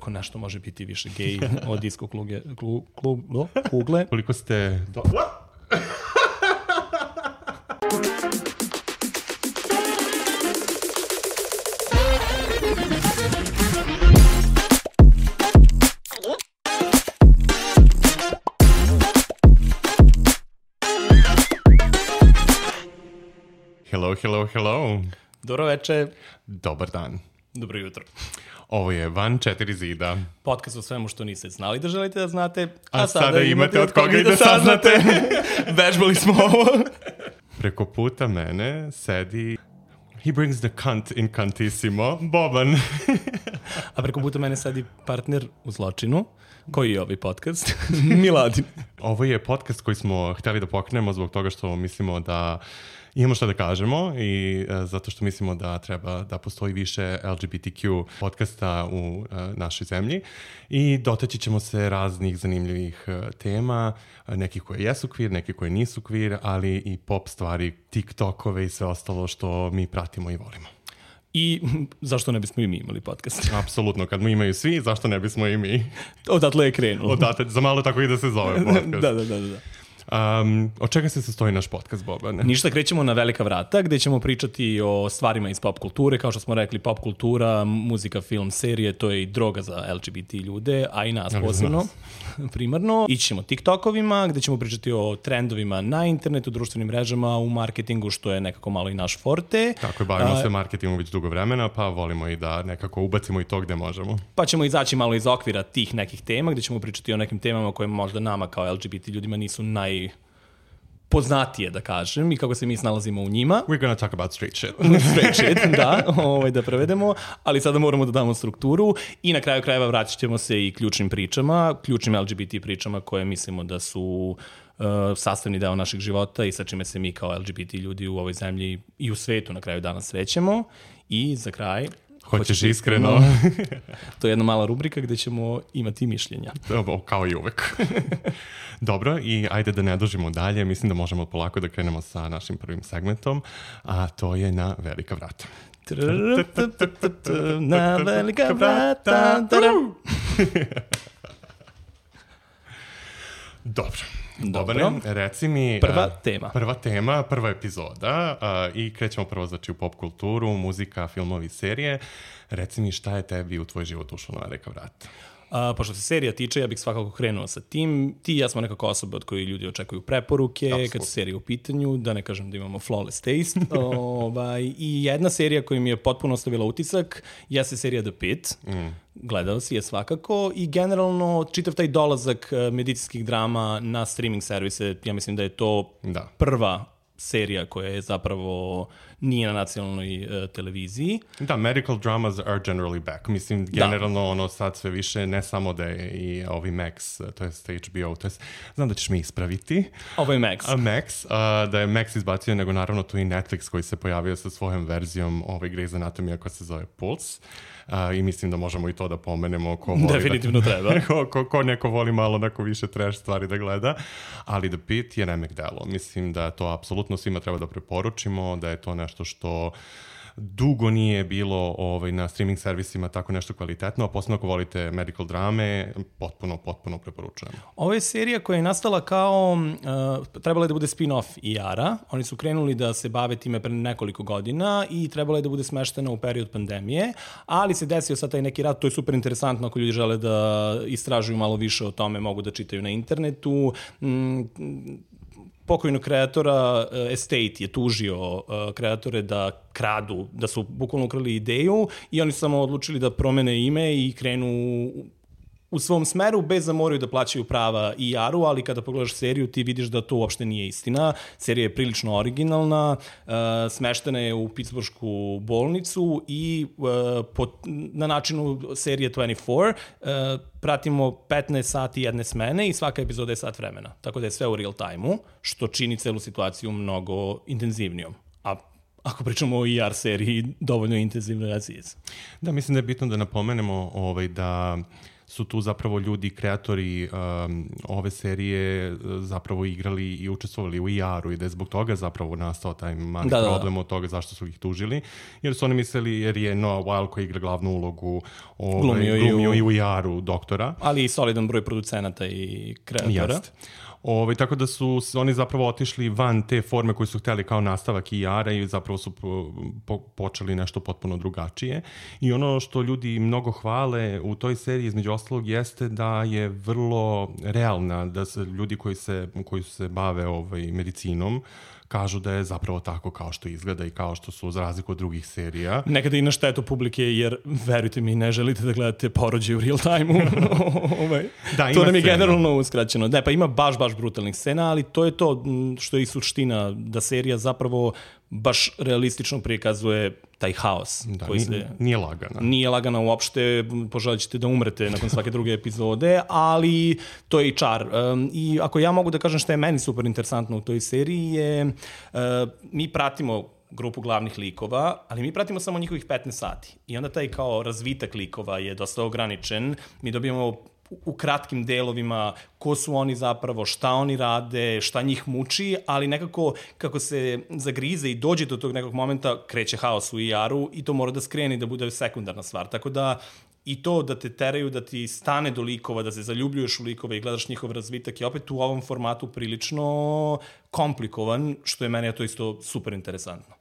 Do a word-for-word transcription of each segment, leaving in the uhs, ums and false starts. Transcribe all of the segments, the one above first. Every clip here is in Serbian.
kako nešto može biti više gej od disko kluge, klu, klub, no, kugle. Koliko ste... Do... Hello, hello, hello. Dobro veče. Dobar dan. Dobro jutro. Ovo je Van četiri zida. Podcast o svemu što niste znali da želite da znate, a, a sada, sada imate od koga i da saznate. Vežbali smo ovo. Preko puta mene sedi... He brings the cunt incantissimo, Boban. A preko puta mene sedi partner u zločinu, koji je ovaj podcast, Miladin. Ovo je podcast koji smo hteli da pokrenemo zbog toga što mislimo da imamo šta da kažemo i uh, zato što mislimo da treba da postoji više L G B T Q podcasta u uh, našoj zemlji i dotaći ćemo se raznih zanimljivih uh, tema, uh, nekih koje jesu queer, nekih koje nisu queer, ali i pop stvari, TikTokove i sve ostalo što mi pratimo i volimo. I zašto ne bismo i mi imali podcast? Apsolutno, kad mu imaju svi, zašto ne bismo i mi? Odatle je krenulo. Odatle, za malo tako i da se zove podcast. da, da, da, da. Um, od čega se sastoji naš podcast, Bobane? Ništa, krećemo na velika vrata gde ćemo pričati o stvarima iz pop kulture. Kao što smo rekli, pop kultura, muzika, film, serije, to je i droga za L G B T ljude, a i nas posebno, primarno. Ići ćemo TikTokovima gde ćemo pričati o trendovima na internetu, društvenim mrežama, u marketingu, što je nekako malo i naš forte. Tako je, bavimo a, se marketingom već dugo vremena, pa volimo i da nekako ubacimo i to gde možemo. Pa ćemo izaći malo iz okvira tih nekih tema gde ćemo pričati o nekim temama koje možda nama kao L G B T ljudima nisu naj poznatije, da kažem, i kako se mi snalazimo u njima. We're gonna talk about straight shit. Straight shit, da, ovaj, da prevedemo, ali sada moramo da damo strukturu i na kraju krajeva vraćat ćemo se i ključnim pričama, ključnim L G B T pričama koje mislimo da su uh, sastavni deo našeg života i sa čime se mi kao L G B T ljudi u ovoj zemlji i u svetu na kraju dana srećemo. I za kraj... Hoćeš iskreno? To je jedna mala rubrika gde ćemo imati mišljenja. Dobro, kao i uvek. Dobro, i ajde da ne dužimo dalje. Mislim da možemo polako da krenemo sa našim prvim segmentom, a to je na velika vrata. Na velika vrata. Dobro. Dobro. Dobre, reci mi... Prva uh, tema. Prva tema, prva epizoda uh, i krećemo prvo znači u pop kulturu, muzika, filmovi, serije. Reci mi šta je tebi u tvoj život ušlo na velika vrata? Uh, pošto se serija tiče, ja bih svakako krenuo sa tim. Ti i ja smo nekako osobe od koje ljudi očekuju preporuke, Absolut. Kad su serije u pitanju, da ne kažem da imamo flawless taste. ovaj, I jedna serija koja mi je potpuno ostavila utisak jeste serija The Pitt. Mm. Gledao si je svakako i generalno čitav taj dolazak medicinskih drama na streaming servise, ja mislim da je to da. prva serija koja je zapravo nije na nacionalnoj uh, televiziji. Da, medical dramas are generally back. Mislim, generalno da. Ono sad sve više, ne samo da je i ovi Max, to je H B O, to je, znam da ćeš mi ispraviti. Ovo je Max. A Max, uh, da je Max izbacio, nego naravno tu i Netflix koji se pojavio sa svojom verzijom ove Grey's Anatomija koja se zove Pulse. Uh, I mislim da možemo i to da pomenemo ko voli definitivno da, treba. ko, ko, ko neko voli malo neko više trash stvari da gleda, ali The Pitt je remek delo. Mislim da to apsolutno svima treba da preporučimo, da je to nešto što dugo nije bilo ovaj, na streaming servisima tako nešto kvalitetno, a posebno ako volite medical drame, potpuno, potpuno preporučujem. Ovo je serija koja je nastala kao, uh, trebala je da bude spin-off I R-a. Oni su krenuli da se bave time pre nekoliko godina i trebala je da bude smeštena u period pandemije, ali se desio sad taj neki rat, to je super interesantno ako ljudi žele da istražuju malo više o tome, mogu da čitaju na internetu. Mm, pokojnog kreatora uh, Estate je tužio uh, kreatore da kradu, da su bukvalno ukrali ideju i oni su samo odlučili da promene ime i krenu u svom smeru bez da moraju da plaćaju prava I R-u, ali kada pogledaš seriju ti vidiš da to uopšte nije istina. Serija je prilično originalna, uh, smeštena je u Pittsburghsku bolnicu i uh, po, na načinu serije dvadeset četiri uh, pratimo petnaest sati jedne smene i svaka epizoda je sat vremena. Tako da je sve u real time-u, što čini celu situaciju mnogo intenzivnijom. A ako pričamo o I R seriji, dovoljno intenzivno razijez. Da, mislim da je bitno da napomenemo ovaj, da su tu zapravo ljudi, kreatori um, ove serije zapravo igrali i učestvovali u I R-u i da je zbog toga zapravo nastao taj mali da, problem da. od toga zašto su ih tužili, jer su oni mislili, jer je Noah Weil koji igra glavnu ulogu ovaj, glumio, glumio i u I R-u doktora. Ali i solidan broj producenata i kreatora. Jeste. Ove, tako da su oni zapravo otišli van te forme koje su hteli kao nastavak I R-a i zapravo su po, po, počeli nešto potpuno drugačije. I ono što ljudi mnogo hvale u toj seriji između ostalog jeste da je vrlo realna, da se ljudi koji se, koji se bave ovaj, medicinom kažu da je zapravo tako kao što izgleda i kao što su za razliku od drugih serija. Nekada i na štetu publike, jer verujte mi, ne želite da gledate porođaj u real time-u. ovaj. da, to nam je scena. Generalno uskraćeno. Ne, pa ima baš, baš brutalnih scena, ali to je to što je i suština, da serija zapravo baš realistično prikazuje taj haos. Da, koji nije, se, nije lagana. Nije lagana uopšte, poželit ćete da umrete nakon svake druge epizode, ali to je i čar. Um, I ako ja mogu da kažem što je meni super interesantno u toj seriji je, uh, mi pratimo grupu glavnih likova, ali mi pratimo samo njihovih petnaest sati. I onda taj kao razvitak likova je dosta ograničen. Mi dobijamo u kratkim delovima ko su oni zapravo, šta oni rade, šta njih muči, ali nekako kako se zagrize i dođe do tog nekog momenta, kreće haos u I R-u i to mora da skrene i da bude sekundarna stvar. Tako da i to da te teraju, da ti stane do likova, da se zaljubljuješ u likove i gledaš njihov razvitak je opet u ovom formatu prilično komplikovan, što je meni to isto super interesantno.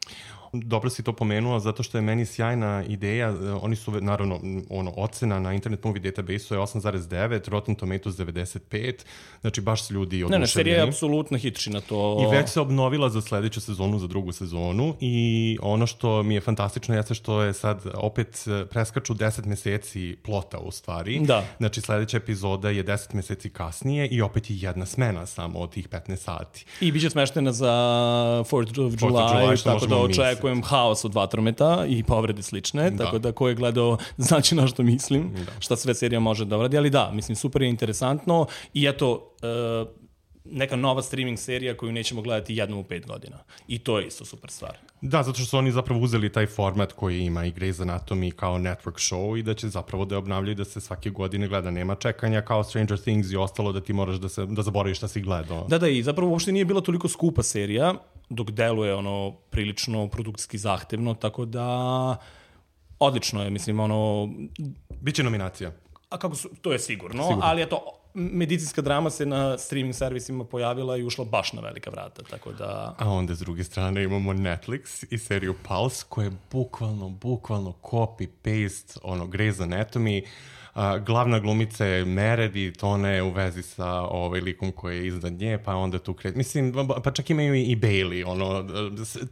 Dobro si to pomenuo, zato što je meni sjajna ideja. Oni su, naravno, ono, ocena na Internet Movie Database-u je osam zarez devet, Rotten Tomatoes devedeset pet, znači baš su ljudi oduševljeni. Ne, ne, serija je apsolutno hitči na to. I već se obnovila za sledeću sezonu, za drugu sezonu i ono što mi je fantastično jeste što je sad opet preskaču deset meseci plota u stvari. Da. Znači sledeća epizoda je deset meseci kasnije i opet je jedna smena samo od tih petnaest sati. I biće smeštena za fourth of July, tako da očekujem haos od vatrometa i povrede slične, da. Tako da ko je gledao znači na što mislim, da. Šta sve serija može da uradi, ali da, mislim, super je interesantno i eto, uh, neka nova streaming serija koju nećemo gledati jednom u pet godina. I to je isto super stvar. Da, zato što su oni zapravo uzeli taj format koji ima i Grey's Anatomy kao network show i da će zapravo da je obnavljaju da se svake godine gleda. Nema čekanja kao Stranger Things i ostalo da ti moraš da, se, da zaboraviš šta si gledao. Da, da, i zapravo uopšte nije bila toliko skupa serija, dok deluje ono prilično produkcijski zahtevno, tako da odlično je, mislim, ono... Biće nominacija. A kako su, to je sigurno, sigurno. Ali eto, medicinska drama se na streaming servisima pojavila i ušla baš na velika vrata, tako da... A onda s druge strane imamo Netflix i seriju Pulse, koja je bukvalno, bukvalno copy-paste ono Grey's Anatomy. Uh, glavna glumica je Meredith, ona je u vezi sa ovaj likom koji je iznad nje, pa onda tu kreće. Mislim, pa čak imaju i Bailey, ono,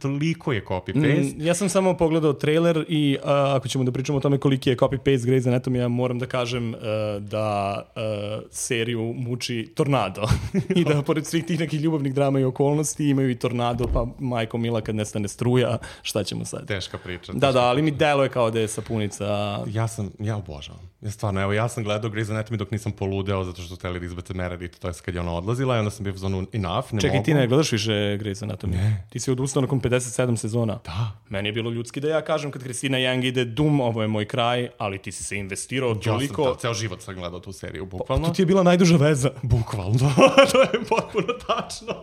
toliko je copy-paste. Mm, ja sam samo pogledao trailer i uh, ako ćemo da pričamo o tome koliki je copy-paste Grey's Anatomy, ja moram da kažem uh, da uh, seriju muči tornado. I da pored svih tih nekih ljubavnih drama i okolnosti imaju i tornado, pa majko mila kad nestane struja, šta ćemo sad? Teška priča. Da, da, ali mi deluje kao da je sapunica. Ja sam, ja obožavam. Ja stvarno, evo, ja sam gledao Grey's Anatomy dok nisam poludeo zato što su hteli da izbace Meredith, to je kad je ona odlazila i onda sam bio u zonu enough, ne Čekaj, mogu. ti ne gledaš više Grey's Anatomy? Ne. Ti si odustao nakon pedeset sedam sezona? Da. Meni je bilo ljudski da ja kažem kad Kristina Yang ide dum, ovo je moj kraj, ali ti si se investirao toliko. Ja sam, da, ceo život sam gledao tu seriju, bukvalno. To ti je bila najduža veza. Bukvalno, to je potpuno tačno.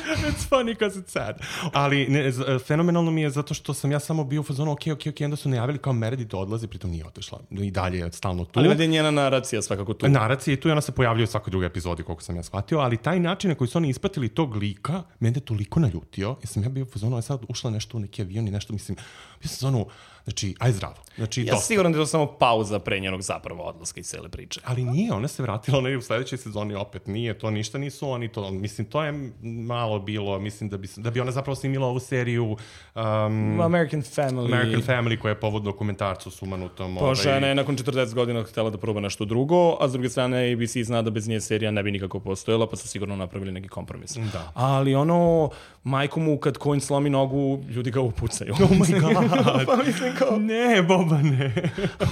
It's funny because it's sad. Ali ne, fenomenalno mi je zato što sam ja samo bio u fazonu, ok, ok, ok, onda su najavili kao Meredith odlazi, pritom nije otišla. I dalje je stalno tu. Ali je njena naracija svakako tu. Naracija je tu i ona se pojavljuje u svakoj drugoj epizodi, koliko sam ja shvatio, ali taj način na koji su oni ispratili tog lika, mene je toliko naljutio, jer sam ja bio u fazonu, a sad ušla nešto u neki avion i nešto, mislim, bio sam zonu, znači, aj zdravo. Znači, ja sam siguran da je to samo pauza pre njenog zapravo odlaska i cele priče. Ali nije, ona se vratila, ona je u sledećoj sezoni opet nije, to ništa nisu oni to, mislim, to je malo bilo, mislim da bi, da bi ona zapravo snimila ovu seriju um, American Family. American Family, koja je povod dokumentarcu sumanutom. Pa žena ovaj... je nakon četrdeset godina htjela da proba nešto drugo, a s druge strane A B C zna da bez nje serija ne bi nikako postojala, pa su sigurno napravili neki kompromis. Da. Ali ono, majko mu kad Coen slomi nogu, ljudi ga upucaju. Oh my god. Pa mislim kao... Ne, Boba, ne.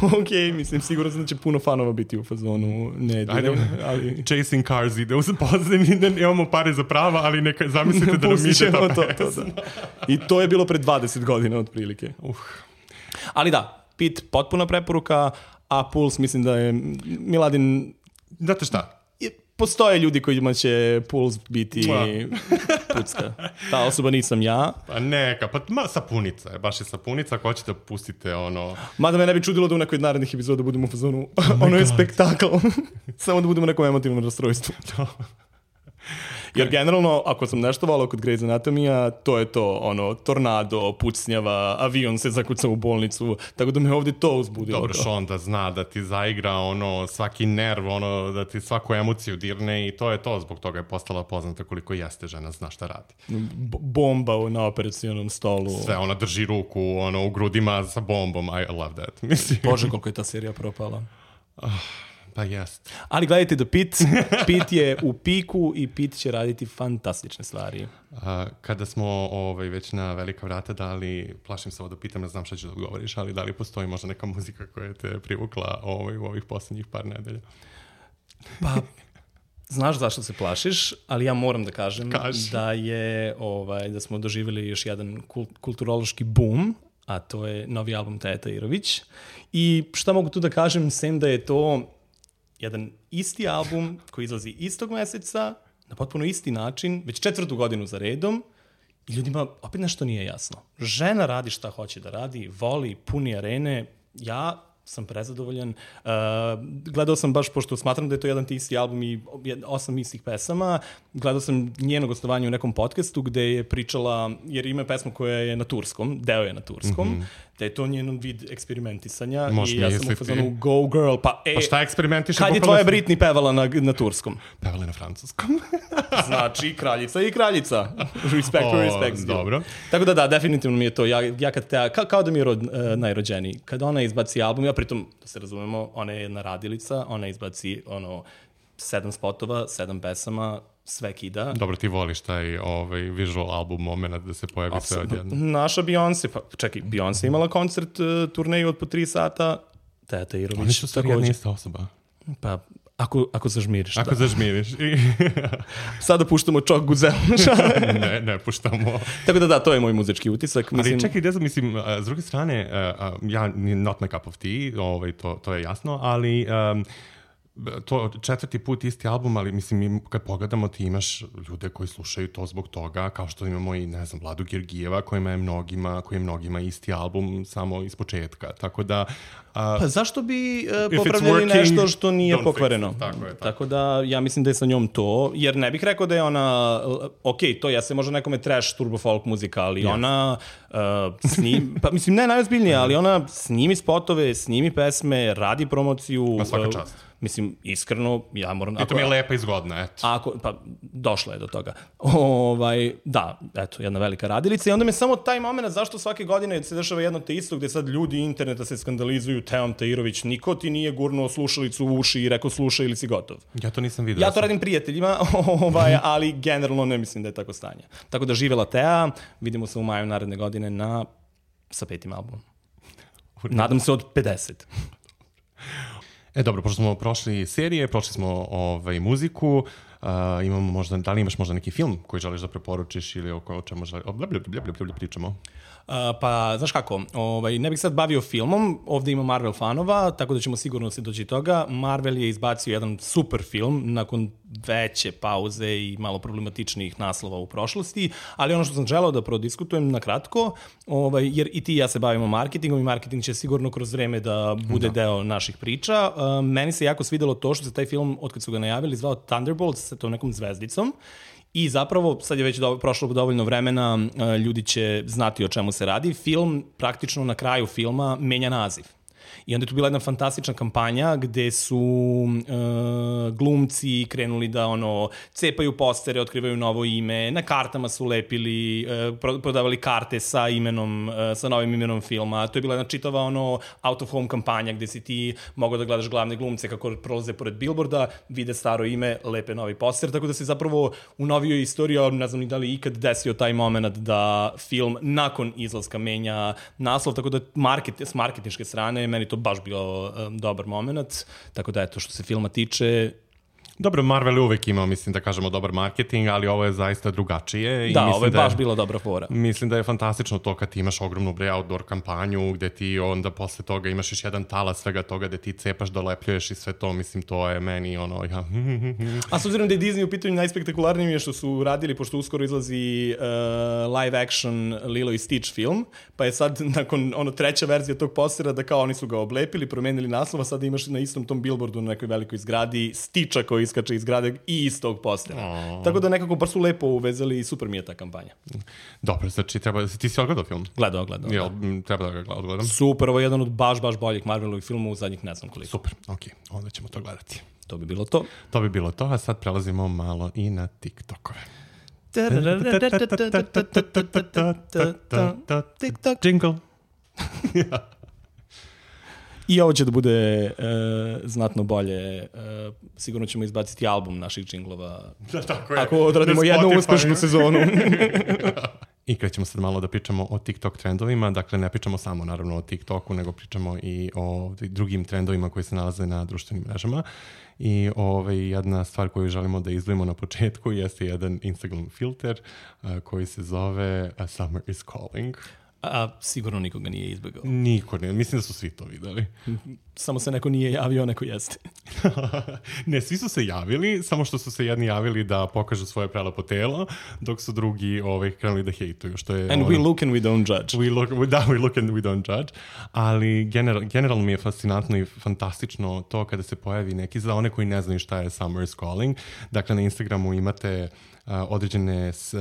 Ok, mislim, sigurno sam da će puno fanova biti u fazonu. Ne, Ajde, ali... Chasing Cars ide u pozadini, da imamo pare za prava, ali neka zamislite da nam ide ta to, to, da. I to je bilo pre dvadeset godina otprilike. Uh. Ali da, Pit, potpuna preporuka, a Puls mislim da je Miladin... Znate šta? Postoje ljudi kojima će Puls biti pucka. Ta osoba nisam ja. Pa neka, pa ma, sapunica je, baš je sapunica, ako hoćete pustite ono... Mada me ne bi čudilo da u nekoj od narednih epizoda budemo u fazonu, oh ono je spektakl. Samo da budemo u nekom emotivnom rastrojstvu. Jer generalno, ako sam nešto volao kod Grey's Anatomija, to je to, ono, tornado, pucnjava, avion se zakuca u bolnicu, tako da me ovdje to uzbudilo. Dobro, Sean da zna da ti zaigra ono, svaki nerv, ono, da ti svaku emociju dirne i to je to, zbog toga je postala poznata koliko jeste žena, zna šta radi. B- bomba na operacionom stolu. Sve, ona drži ruku, ono, u grudima sa bombom, I love that. Mislim. Bože, koliko je ta serija propala. Uh. Pa jest. Ali gledajte da Pit, Pit je u piku i Pit će raditi fantastične stvari. A, kada smo ovaj, već na velika vrata dali, plašim se ovo da pitam, ne znam šta ćeš da odgovoriš, ali da li postoji možda neka muzika koja te privukla ovaj, u ovih posljednjih par nedelja? Pa, znaš zašto se plašiš, ali ja moram da kažem Kaži. da je, ovaj, da smo doživjeli još jedan kult, kulturološki boom, a to je novi album Teja Tahirović. I šta mogu tu da kažem, sem da je to jedan isti album koji izlazi istog meseca, na potpuno isti način, već četvrtu godinu za redom, i ljudima opet nešto nije jasno. Žena radi šta hoće da radi, voli, puni arene, ja sam prezadovoljan. Uh, gledao sam baš, pošto smatram da je to jedan ti isti album i osam istih pesama, gledao sam njeno gostovanje u nekom podcastu gde je pričala, jer ima pesmu koja je na turskom, deo je na turskom, mm-hmm. da je to njen vid eksperimentisanja. Možeš i ja sam u fazonu go girl, pa e, pa šta eksperimentiš? Kad je tvoja Britney pevala na, na turskom? Pevala na francuskom. Znači, kraljica i kraljica. Respect o, for respect. Dobro. Tako da da, definitivno mi je to. Ja, ja kad te, ka, kao da mi je rod, uh, najrođeniji. Kad ona izbaci album, ja pritom, da se razumemo, ona je jedna radilica, ona izbaci ono, sedam spotova, sedam pesama, sve kida. Dobro, ti voliš taj ovaj, visual album moment da se pojavi A, sve odjedno. Naša Beyoncé, pa čekaj, Beyoncé imala koncert, uh, turneju od po tri sata, Teja Tahirović. Oni su stvari jedna ista osoba. Pa, ako, ako zažmiriš. Ako da. zažmiriš. Sada puštamo Čok Guzel. ne, ne puštamo. Tako da da, to je moj muzički utisak. Mislim... Ali čekaj, gdje mislim, s druge strane, ja, not my cup of tea, ovaj, to, to je jasno, ali... Um, to četvrti put isti album, ali mislim, kad pogledamo, ti imaš ljude koji slušaju to zbog toga, kao što imamo i, ne znam, Vladu Georgijeva, kojima je mnogima, koji je mnogima isti album samo iz početka. Tako da... A, pa zašto bi uh, popravljali working, nešto što nije pokvareno? Tako je, tako. tako da, ja mislim da je sa njom to, jer ne bih rekao da je ona, ok, to jeste možda nekome trash turbo folk muzika, ali yes. ona uh, snim, pa mislim, ne najozbiljnije, ali ona snimi spotove, snimi pesme, radi promociju. Ma svaka čast. Uh, Mislim, iskreno, ja moram... I to mi je lepa i zgodna, eto. Ako, pa, došla je do toga. Ovaj, da, eto, jedna velika radilica. I onda me samo taj moment, zašto svake godine se dešava jedno te isto, gde sad ljudi interneta se skandalizuju, Teom Tahirović, niko ti nije gurnuo slušalicu u uši i rekao slušaj ili si gotov. Ja to nisam vidio. Ja to radim prijateljima, ovaj, ali generalno ne mislim da je tako stanje. Tako da živela Teja, vidimo se u maju naredne godine na, sa petim albumom. Nadam se od pedeset. E dobro, pošto smo prošli serije, prošli smo ovaj, muziku, uh, imamo možda, da li imaš možda neki film koji želiš da preporučiš ili o, o čemu želiš, o bla, bla, bla, bla, bla, pričamo? Uh, pa, znaš kako, ovaj, ne bih sad bavio filmom, ovdje ima Marvel fanova, tako da ćemo sigurno se doći toga. Marvel je izbacio jedan super film nakon veće pauze i malo problematičnih naslova u prošlosti, ali ono što sam želeo da prodiskutujem na kratko, ovaj, jer i ti i ja se bavimo marketingom i marketing će sigurno kroz vreme da bude da. deo naših priča. Uh, meni se jako svidelo to što se taj film, otkad su ga najavili, zvao Thunderbolts sa tom nekom zvezdicom. I zapravo, sad je već do, prošlo dovoljno vremena, ljudi će znati o čemu se radi. Film, praktično na kraju filma, menja naziv. I onda je tu bila jedna fantastična kampanja gde su uh, glumci krenuli da ono cepaju postere, otkrivaju novo ime, na kartama su lepili, uh, prodavali karte sa imenom, uh, sa novim imenom filma. To je bila jedna čitava ono out of home kampanja gde si ti mogao da gledaš glavne glumce kako prolaze pored billboarda, vide staro ime, lepe novi poster, tako da se zapravo u novijoj istoriji, ne znam ni da li ikad desio taj moment da film nakon izlaska menja naslov, tako da market, s marketinške strane meni to baš bio um, dobar moment, tako da eto što se filma tiče Dobro, Marvel je uvek imao, mislim da kažemo, dobar marketing, ali ovo je zaista drugačije. I da, mislim ovo je da baš bila dobra fora. Mislim da je fantastično to kad ti imaš ogromnu bre outdoor kampanju, gde ti onda posle toga imaš još jedan talas svega toga, gde ti cepaš, dolepljuješ i sve to, mislim, to je meni ono, ja... A s obzirom da je Disney u pitanju najspektakularnije je što su radili, pošto uskoro izlazi uh, live action Lilo i Stitch film, pa je sad nakon ono treća verzija tog postera da kao oni su ga oblepili, promenili naslov, a sad imaš na istom tom billboardu na nekoj velikoj zgradi Stitcha koji iskače iz zgrade i iz tog postera. Oh. Tako da nekako bar su lepo uvezali i super mi je ta kampanja. Dobro, znači treba, ti si odgledao film? Gledao, gledao. Jel, treba da ga odgledam? Super, ovo je jedan od baš, baš boljih Marvelovih filmova u zadnjih ne znam koliko. Super, okej, okay. Onda ćemo to gledati. To bi bilo to. To bi bilo to, a sad prelazimo malo i na TikTokove. TikTok. Jingle. I ovo će da bude uh, znatno bolje. Uh, sigurno ćemo izbaciti album naših džinglova. Da, tako je. Ako odradimo jednu uspešnu sezonu. I krećemo sad malo da pričamo o TikTok trendovima. Dakle, ne pričamo samo naravno o TikToku, nego pričamo i o drugim trendovima koji se nalaze na društvenim mrežama. I ovaj, jedna stvar koju želimo da izdvojimo na početku jeste jedan Instagram filter uh, koji se zove uh, Summer is Calling. A sigurno nikoga nije izbegao. Niko ne, mislim da su svi to videli. Samo se neko nije javio, neko jeste. Ne, svi su se javili, samo što su se jedni javili da pokažu svoje prelepo telo, dok su drugi ovaj, krenuli da hejtuju. Što je, and ono, we look and we don't judge. We look, we, da, we look and we don't judge. Ali general, generalno mi je fascinantno i fantastično to kada se pojavi neki, za one koji ne znaju šta je Summer is Calling. Dakle, na Instagramu imate Uh, određene s, uh,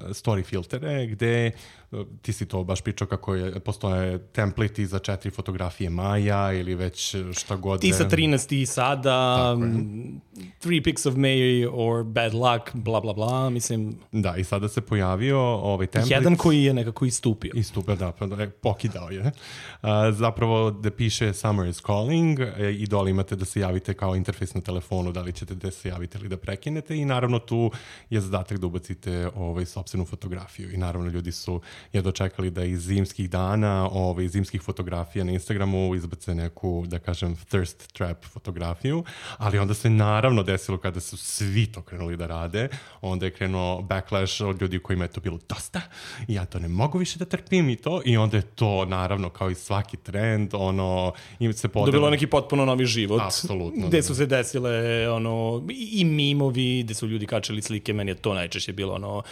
story filtere gde uh, ti si to baš pričao kako je, postoje templeti za četiri fotografije Maja ili već šta god. Ti sa trinaest i sada, um, three pics of May or bad luck, bla bla bla, mislim. Da, i sada se pojavio ovaj templet. Jedan koji je nekako istupio. Istupio, da, pa da, pokidao je. Uh, zapravo da piše Summer is Calling e, i dole imate da se javite kao interfejs na telefonu, da li ćete da se javite ili da prekinete i naravno tu je zadatak da ubacite ovaj, sopstvenu fotografiju i naravno ljudi su je dočekali da iz zimskih dana, ovaj, zimskih fotografija na Instagramu izbace neku, da kažem, thirst trap fotografiju, ali onda se naravno desilo kada su svi to krenuli da rade, onda je krenuo backlash od ljudi kojima je to bilo dosta i ja to ne mogu više da trpim i to i onda je to naravno kao i svaki trend, ono, im se podelo. Dobilo neki potpuno novi život. Apsolutno. Gde su se desile, ono, i mimovi, gde su ljudi kačali slike, meni je to najčešće bilo, ono,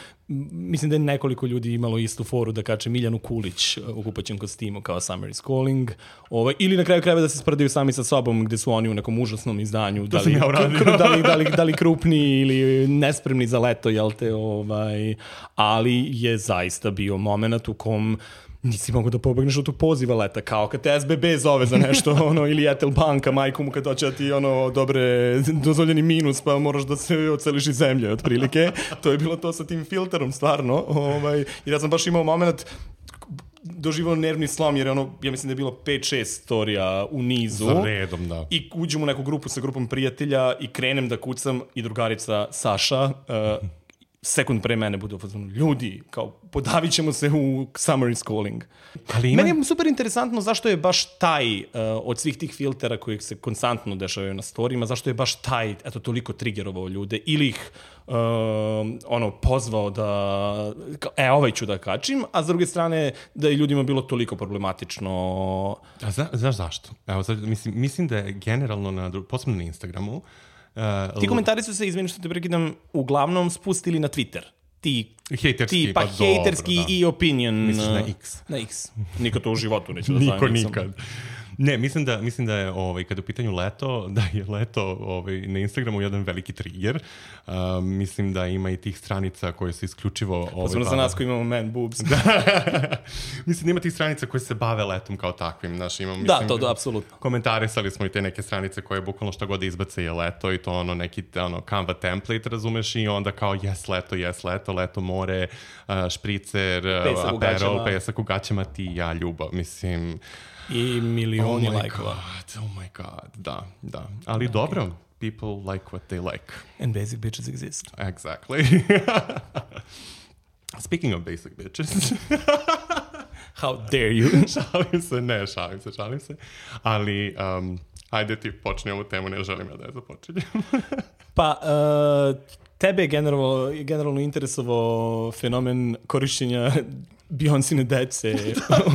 mislim da je nekoliko ljudi imalo istu foru da kače Miljanu Kulić u kupaćem kostimu kao Summer is Calling, ovaj, ili na kraju krajeva da se sprdaju sami sa sobom gde su oni u nekom užasnom izdanju, da li, ja kru, da, li, da, li, da li krupni ili nespremni za leto, jel te, ovaj, ali je zaista bio moment u kom nisi mogu da pobegneš od tog poziva leta, kao kad te S B B zove za nešto, ono, ili Etel banka, majku mu kad hoće da ti, ono, dobre, dozvoljeni minus, pa moraš da se oceliš iz zemlje, otprilike. To je bilo to sa tim filterom, stvarno. Ovaj, jer ja sam baš imao moment doživao nervni slom, jer ono, ja mislim da je bilo pet šest storija u nizu. Za redom, da. I uđem u neku grupu sa grupom prijatelja i krenem da kucam i drugarica Saša, uh, sekund pre mene bude ufazonu, ljudi, kao, podavit ćemo se u Summer is Calling. Ali ima... Meni je super interesantno zašto je baš taj, uh, od svih tih filtera koji se konstantno dešavaju na storijima, zašto je baš taj, eto, toliko triggerovao ljude, ili ih uh, ono, pozvao da, e, ovaj ću da kačim, a s druge strane da je ljudima bilo toliko problematično. A zna, znaš zašto? Evo, sad, mislim, mislim da je generalno, na, posebno na Instagramu, Uh, ti komentari su se, izvini što te prekidam, uglavnom spustili na Twitter. Ti, hejterski, ti, pa, pa hejterski dobro, da. I opinion. Misliš na X? Na X. Niko to u životu neće da Niko stavim. nikad. Ne, mislim da, mislim da je, ovaj, kada u pitanju leto, da je leto ovaj, na Instagramu jedan veliki trigger. Uh, mislim da ima i tih stranica koje se isključivo... Ovaj, posebno za nas koji imamo man boobs. Mislim da ima tih stranica koje se bave letom kao takvim. Znaš, imam, mislim, da, to da, apsolutno. Komentarisali smo i te neke stranice koje bukvalno šta god izbace je leto i to ono neki ono, Canva template, razumeš, i onda kao yes, leto, yes, leto, leto, more, uh, špricer, uh, aperol, pesak u gaćama, ti, ja, ljubav. Mislim... I milioni oh lajkova. Oh my god, da, da. Ali okay. Dobro, people like what they like. And basic bitches exist. Exactly. Speaking of basic bitches. How dare you? Šalim se, ne, šalim se, šalim se. Ali, um, Ajde ti počni ovu temu, ne želim ja da je započinjem. Pa, uh, tebe je generalno, generalno interesovao fenomen korišćenja Beyoncine dece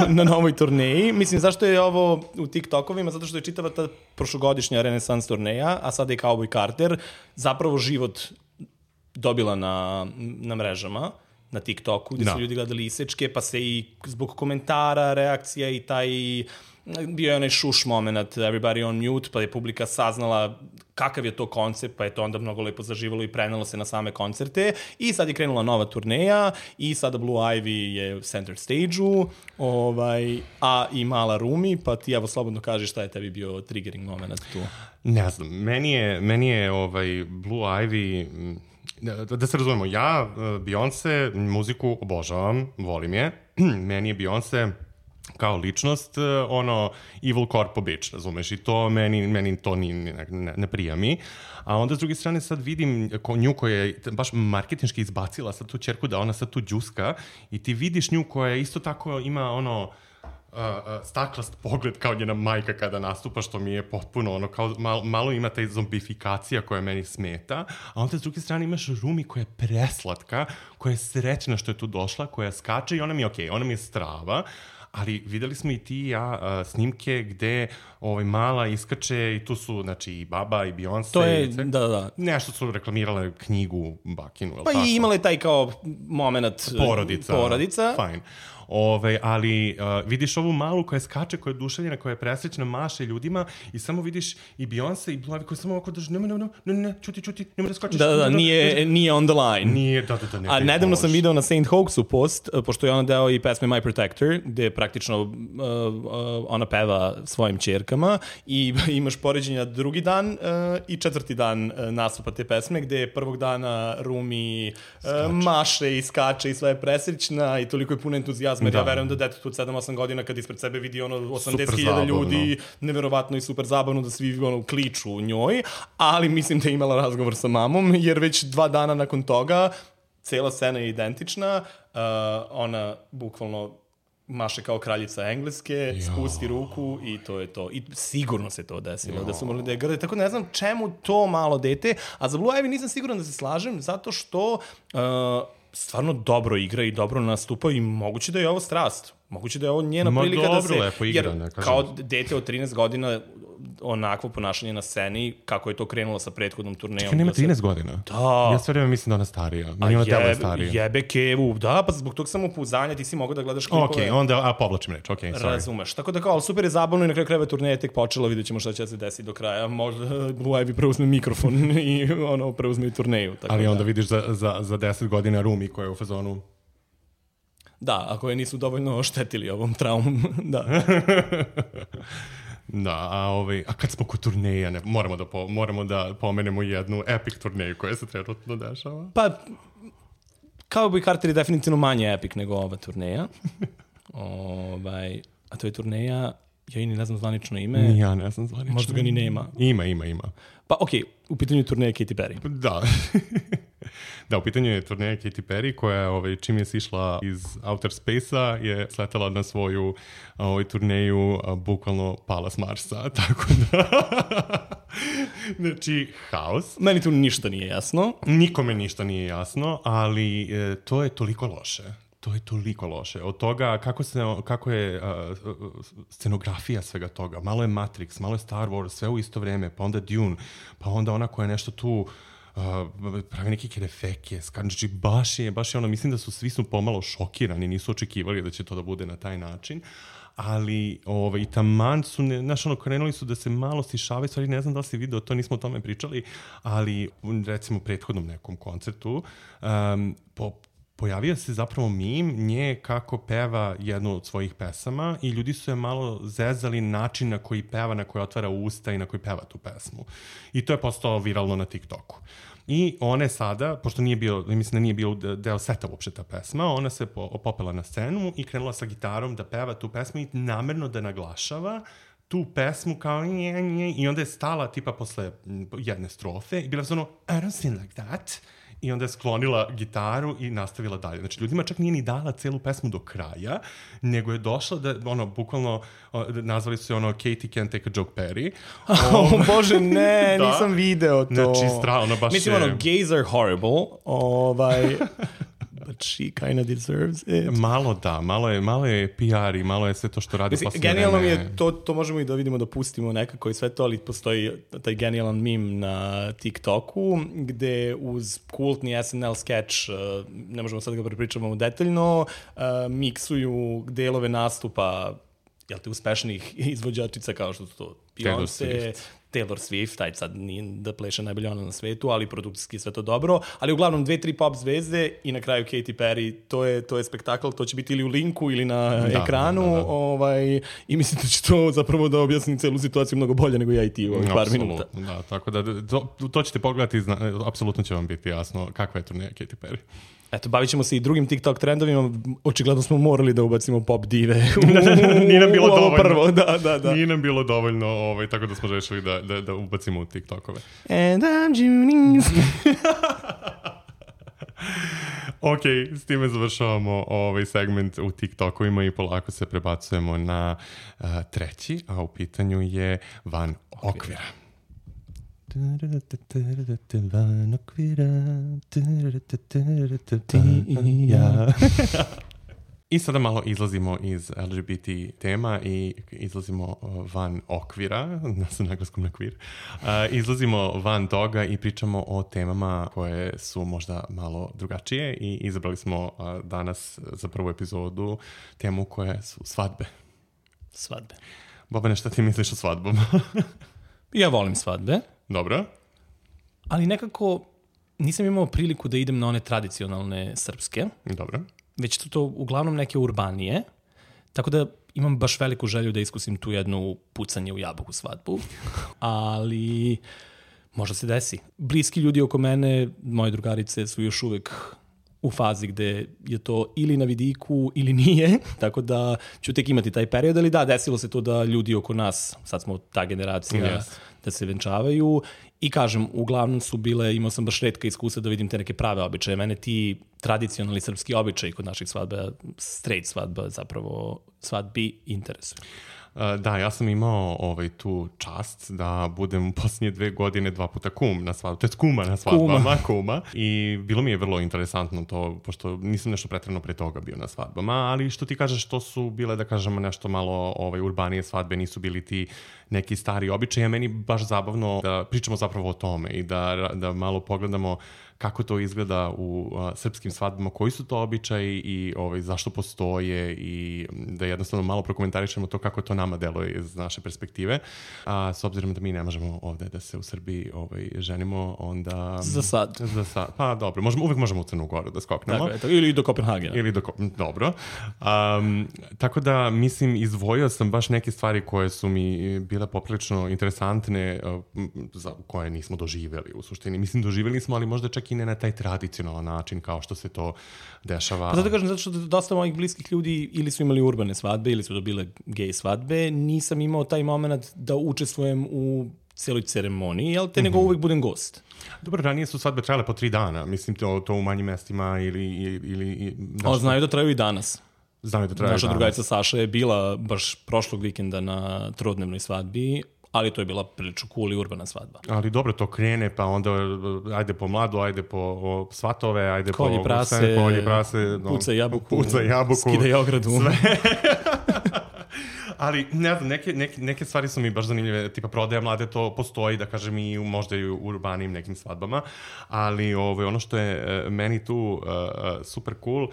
na novoj turneji. Mislim, zašto je ovo u TikTokovima? Zato što je čitava ta prošlogodišnja Renaissance turneja, a sada je Cowboy Carter, zapravo život dobila na, na mrežama, na TikToku, gde no. su ljudi gledali isečke, pa se i zbog komentara, reakcija i taj... bio je onaj šuš moment, everybody on mute, pa je publika saznala kakav je to koncept, pa je to onda mnogo lepo zaživalo i prenelo se na same koncerte. I sad je krenula nova turneja i sada Blue Ivy je u center stage-u, ovaj, a i mala Rumi, pa ti evo slobodno kaži šta je tebi bio triggering moment tu. Ne znam, meni je, meni je ovaj Blue Ivy... Da, da se razumemo, ja Beyoncé muziku obožavam, volim je. Meni je Beyoncé kao ličnost, ono, evil corpo bitch, razumeš, i to meni, meni to ni, ne, ne, ne prija mi. A onda s druge strane sad vidim ko, nju koja je baš marketinški izbacila sad tu ćerku da ona sad tu džuska i ti vidiš nju koja isto tako ima ono, Uh, uh, staklast pogled kao njena majka kada nastupa, što mi je potpuno ono, kao malo, malo ima taj zombifikacija koja meni smeta, a onda s druge strane imaš Rumi koja je preslatka, koja je srećna što je tu došla, koja skače i ona mi je okej, okay, ona mi je strava, ali videli smo i ti i ja uh, snimke gde ovaj, mala iskače i tu su, znači, i baba i Beyoncé. To je, i da, da. Nešto su reklamirale knjigu Bakinu, je li pa tako? Pa i imale taj kao moment porodica. Porodica. Fajn. Ove, ali uh, vidiš ovu malu koja skače, koja je oduševljena, koja je presrećna, maše ljudima i samo vidiš i Beyoncé i Blue Ivy koja samo ovako drži, ne, ne, ne, ne, ne, čuti, čuti, nemoj da skačeš. Da, da, da, nije, nije on the line. Nije, da, da, da, ne. A nedavno sam video na Saint Hoaxu post, pošto je ona deo i pesme My Protector, gde praktično uh, uh, ona peva svojim ćerkama i imaš poređenja drugi dan uh, i četvrti dan uh, nastupa te pesme, gde prvog dana Rumi uh, maše i skače i sva je presrećna i toliko je puno entuzijazma. Da. Ja verujem da detetu od sedam osam godina kad ispred sebe vidi ono osamdeset hiljada ljudi, neverovatno i super zabavno da svi ono kliču njoj, ali mislim da je imala razgovor sa mamom, jer već dva dana nakon toga cela scena je identična, uh, ona bukvalno maše kao kraljica Engleske, jo. Spusti ruku i to je to. I sigurno se to desilo, jo. Da su morali da je grde. Tako ne znam čemu to malo dete, a za Blue Ivy nisam siguran da se slažem, zato što uh, stvarno dobro igra i dobro nastupa i moguće da je ovo strast. Moguće da je ovo njena Ma prilika dobro, da se... lepo igra, jer ne kažem. Kao dete od trinaest godina onakvo ponašanje na sceni, kako je to krenulo sa prethodnom turnejom. Čekaj, nema trinaest godina? Da. Ja sve vreme mislim da ona starija. Meni ona tela je starija. Jebe kevu, da, pa zbog tog samopouzdanja ti si mogao da gledaš klipove. Ok, onda, a povlačim reč, ok, sorry. Razumeš. Tako da kao, super je zabavno i na kraju krajeva turneja je tek počela, vidjet ćemo šta će se desiti do kraja. Možda Blue Ivy preuzme mikrofon i ono, preuzme i turneju. Tako ali da. Onda vidiš za, za, za deset godina Rumi koja je u fazonu... Da, ako je nisu dovoljno oštetili ovom traumom, da. Da, a, ovaj, a kad smo kod turneja, ne, moramo, da po, moramo da pomenemo jednu epic turneju koja se trenutno dešava. Pa, Cowboy Carter je definitivno manje epic nego ova turneja. ovaj, a to je turneja, ja i ni ne znam zvanično ime. Ni ja ne znam zvanično. Možda ga ni nema. Ima, ima, ima. Pa okej, okay, u pitanju turneja Katy Perry. Da. Da, u pitanju je turneja Katy Perry koja ovaj, čim je sišla iz Outer Space-a je sletela na svoju ovaj, turneju a, bukvalno pala s Marsa, tako da... znači, haos. Meni tu ništa nije jasno. Nikome ništa nije jasno, ali e, to je toliko loše. To je toliko loše. Od toga kako, se, kako je uh, scenografija svega toga. Malo je Matrix, malo je Star Wars, sve u isto vreme, pa onda Dune, pa onda ona koja je nešto tu uh, pravi neke kerefeke, znači baš je, baš je ono, mislim da su svi su pomalo šokirani, nisu očekivali da će to da bude na taj način. Ali ovaj, i taman su, ne, znaš, ono, krenuli su da se malo stišavaju, stvari ne znam da li si video, to nismo o tome pričali, ali recimo u prethodnom nekom koncertu um, po pojavio se zapravo meme nje kako peva jednu od svojih pesama i ljudi su je malo zezali način na koji peva, na koji otvara usta i na koji peva tu pesmu. I to je postalo viralno na TikToku. I ona sada, pošto nije bio, mislim da nije bio deo seta uopšte ta pesma, ona se popela na scenu i krenula sa gitarom da peva tu pesmu i namerno da naglašava tu pesmu kao nje, nje, i onda je stala tipa posle jedne strofe i bila ono I don't sing like that. i onda je sklonila gitaru i nastavila dalje. Znači, ljudima čak nije ni dala celu pesmu do kraja, nego je došla da, ono, bukvalno, nazvali su je ono Katy Can't Take a Joke Perry. Oh, um, bože, ne, da. Nisam video to. Znači, stra, ono baš Mislim, je... ono, gays are horrible, ovaj... But she kind of deserves it. Malo da, malo je, malo je P R i malo je sve to što radi. Mislim, genijalno mi je, to, to možemo i da vidimo da pustimo nekako i sve to, ali postoji taj genijalan meme na TikToku gde uz kultni S N L sketch, ne možemo sad ga prepričamo detaljno, miksuju delove nastupa, jel te, uspešnih izvođačica kao što su to Beyoncé, Taylor Swift, taj sad nije da pleše najbolje ona na svetu, ali produkcijski sve to dobro, ali uglavnom dve, tri pop zvezde i na kraju Katy Perry, to je, to je spektakl, to će biti ili u linku ili na da, ekranu, da, da, da. Ovaj, i mislim da će to zapravo da objasni celu situaciju mnogo bolje nego ja i ti u ovih par minuta. Da, tako da to, to ćete pogledati, zna, apsolutno će vam biti jasno kakva je turneja Katy Perry. Eto, bavit ćemo se i drugim TikTok trendovima. Očigledno smo morali da ubacimo pop dive u, Nije nam bilo dovoljno. Prvo. Da, da, da. Nije nam bilo dovoljno, ovaj, tako da smo rešili da, da, da ubacimo u TikTokove. And I'm Junis. Ok, s time završavamo ovaj segment u TikTokovima i polako se prebacujemo na uh, treći, a u pitanju je Van okvira. Van okvira. I sada malo izlazimo iz L G B T tema i izlazimo van okvira, sa naglaskom na kvir. Uh, izlazimo van toga i pričamo o temama koje su možda malo drugačije i izabrali smo uh, danas za prvu epizodu temu koje su svadbe. Svadbe. Bobane, šta ti misliš o svadbama? Ja volim svadbe. Dobro. Ali nekako nisam imao priliku da idem na one tradicionalne srpske. Dobro. Već su to uglavnom neke urbanije, tako da imam baš veliku želju da iskusim tu jednu pucanje u jabuku svadbu, ali možda se desi. Bliski ljudi oko mene, moje drugarice, su još uvek u fazi gde je to ili na vidiku ili nije, tako da ću tek imati taj period, ali da, desilo se to da ljudi oko nas, sad smo ta generacija, yes. da se venčavaju i kažem, uglavnom su bile, imao sam baš retka iskustva da vidim te neke prave običaje. Mene ti tradicionalni srpski običaji kod naših svadba, straight svadba, zapravo svadbi interesuju. Da, ja sam imao ovaj, tu čast da budem u posljednje dve godine dva puta kum na svadbu, to je kuma na svadbama, kuma. kuma. I bilo mi je vrlo interesantno to, pošto nisam nešto pretredno pre toga bio na svadbama, ali što ti kažeš, to su bile, da kažemo, nešto malo ovaj, urbanije svadbe, nisu bili ti neki stari običaji, a meni baš zabavno da pričamo zapravo o tome i da, da malo pogledamo kako to izgleda u a, srpskim svadbama, koji su to običaji i ovaj, zašto postoje i da jednostavno malo prokomentarišemo to kako to nama deluje iz naše perspektive. A s obzirom da mi ne možemo ovde da se u Srbiji ovaj, ženimo, onda... Za sad. Za sad. Pa dobro, možemo, uvek možemo u Crnu Goru da skoknemo. Tako, eto, ili do Kopenhagena. Ili do Dobro. Um, tako da, mislim, izdvojio sam baš neke stvari koje su mi bile poprilično interesantne, uh, za koje nismo doživjeli u suštini. Mislim, doživjeli smo, ali možda čak i ne na taj tradicionalan način kao što se to dešava. Pa zato kažem, zato što dosta mojih bliskih ljudi ili su imali urbane svadbe ili su dobile gej svadbe, nisam imao taj moment da učestvujem u celoj ceremoniji, jel te, mm-hmm. nego uvijek budem gost. Dobro, ranije su svadbe trajale po tri dana, mislim to, to u manjim mestima ili... ili o, znaju da traju i danas. Znaju da traju Naša i danas. drugarica Saša je bila baš prošlog vikenda na trodnevnoj svadbi, ali to je bila prilično cool i urbana svadba. Ali dobro, to krene, pa onda ajde po mladu, ajde po svatove, ajde kolje po... Prase, sve, kolje prase, no, puca jabuku, puca jabuku, skidaj ogradu. Sve. Ali, ne znam, neke, neke, neke stvari su mi baš zanimljive, tipa prodaja mlade, to postoji, da kažem, i možda i u urbanim nekim svadbama, ali ovo, ono što je uh, meni tu uh, super cool, uh,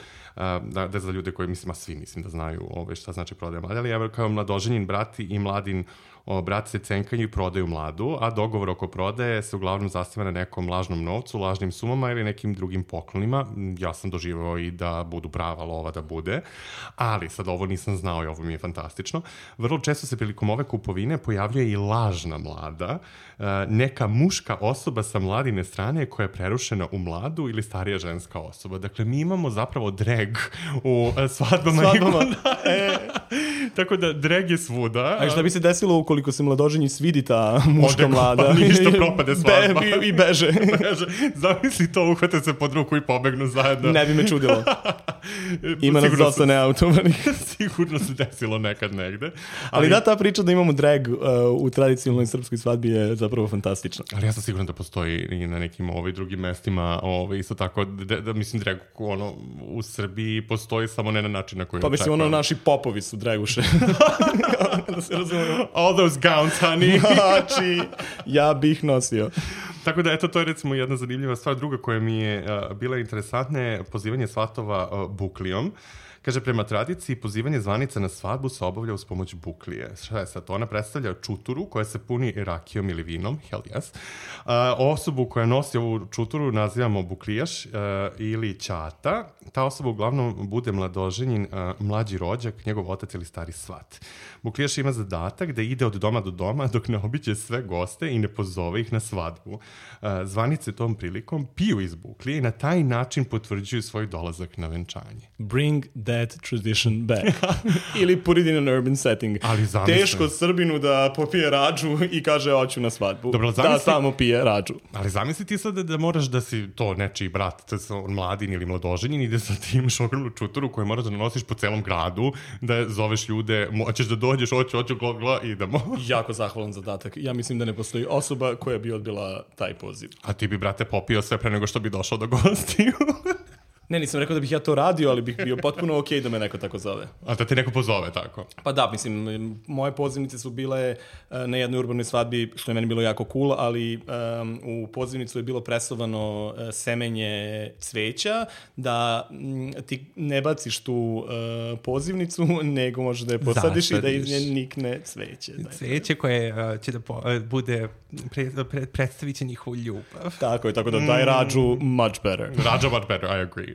da, da za ljude koji, mislim, a svi mislim da znaju ove, šta znači prodaja mlade, ali ja kao mladoženjen brat i mladin o, brat se cenkaju i prodaju mladu, a dogovor oko prodaje se uglavnom zasniva na nekom lažnom novcu, lažnim sumama ili nekim drugim poklonima. Ja sam doživao i da budu prava lova da bude, ali sad ovo nisam znao i ovo mi je fantastično. Vrlo često se prilikom ove kupovine pojavljuje i lažna mlada, neka muška osoba sa mladine strane koja je prerušena u mladu ili starija ženska osoba. Dakle, mi imamo zapravo drag u svadbama. Svadbama. E. Tako da drag je svuda. A šta bi se desilo ukoliko se mladoženji svidi ta muška Ode, mlada? Pa ništa, propade svadba. Be, I beže. beže. Zamisli to, uhvate se pod ruku i pobegnu zajedno. Ne bi me čudilo. Ima nas dosta neautovanih. Sigurno se desilo nekad negde. Ali, ali da, ta priča da imamo drag uh, u tradicionalnoj srpskoj svadbi je zapravo fantastična. Ali ja sam siguran da postoji i na nekim ovaj, drugim mestima, ovaj, isto tako, da, da mislim drag ono, u Srbiji postoji samo ne na način na koji pa mislim, ono, naši popovi su draguše. Da se razumemo. All those gowns, honey. Znači, ja bih nosio. Tako da, eto, to je recimo jedna zanimljiva stvar. Druga koja mi je uh, bila interesantna je pozivanje svatova uh, buklijom. Kaže, prema tradiciji, pozivanje zvanica na svadbu se obavlja uz pomoć buklije. Šta je sad? Ona predstavlja čuturu koja se puni rakijom ili vinom, hell yes. Uh, osobu koja nosi ovu čuturu nazivamo buklijaš uh, ili ćata. Ta osoba uglavnom bude mladoženjin, uh, mlađi rođak, njegov otac ili stari svat. Buklijaš ima zadatak da ide od doma do doma dok ne obiđe sve goste i ne pozove ih na svadbu. Uh, zvanice tom prilikom piju iz buklije i na taj način potvrđuju svoj dolazak na venčanje. Bring that tradition back. Ili put it in an urban setting. Ali zamisli. Teško Srbinu da popije rađu i kaže hoću na svadbu. Dobro, zamisli, da samo pije rađu. Ali zamisli ti sad da, da moraš da si to nečiji brat, to je mladin ili mladoženjin i da sad ti imaš ogromnu čuturu koju moraš da nosiš po celom gradu, da zoveš ljude, hoćeš da dođeš, hoću, hoću, gla, gla, idemo. Jako zahvalan zadatak. Ja mislim da ne postoji osoba koja bi odbila taj poziv. A ti bi, brate, popio sve pre nego što bi došao do gostiju. Ne, nisam rekao da bih ja to radio, ali bih bio potpuno okej da me neko tako zove. A da te neko pozove tako? Pa da, mislim, moje pozivnice su bile na jednoj urbanoj svadbi, što je meni bilo jako cool, ali um, u pozivnicu je bilo presovano uh, semenje cveća, da m, ti ne baciš tu uh, pozivnicu, nego možeš da je posadiš i da iz nje nikne cveće. Cveće koje uh, će da po, uh, bude, pre, pre, predstavit će njihovu ljubav. Tako je, tako da daj rađu much better. Rađa much better, I agree.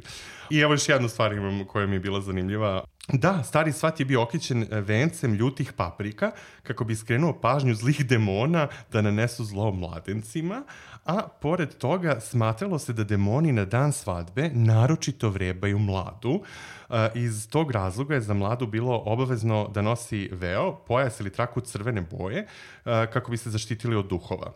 I evo još jednu stvar imam koja mi je bila zanimljiva. Da, stari svat je bio okićen vencem ljutih paprika kako bi skrenuo pažnju zlih demona da nanesu zlo mladencima, a pored toga smatralo se da demoni na dan svadbe naročito vrebaju mladu. Iz tog razloga je za mladu bilo obavezno da nosi veo, pojas ili traku crvene boje kako bi se zaštitili od duhova.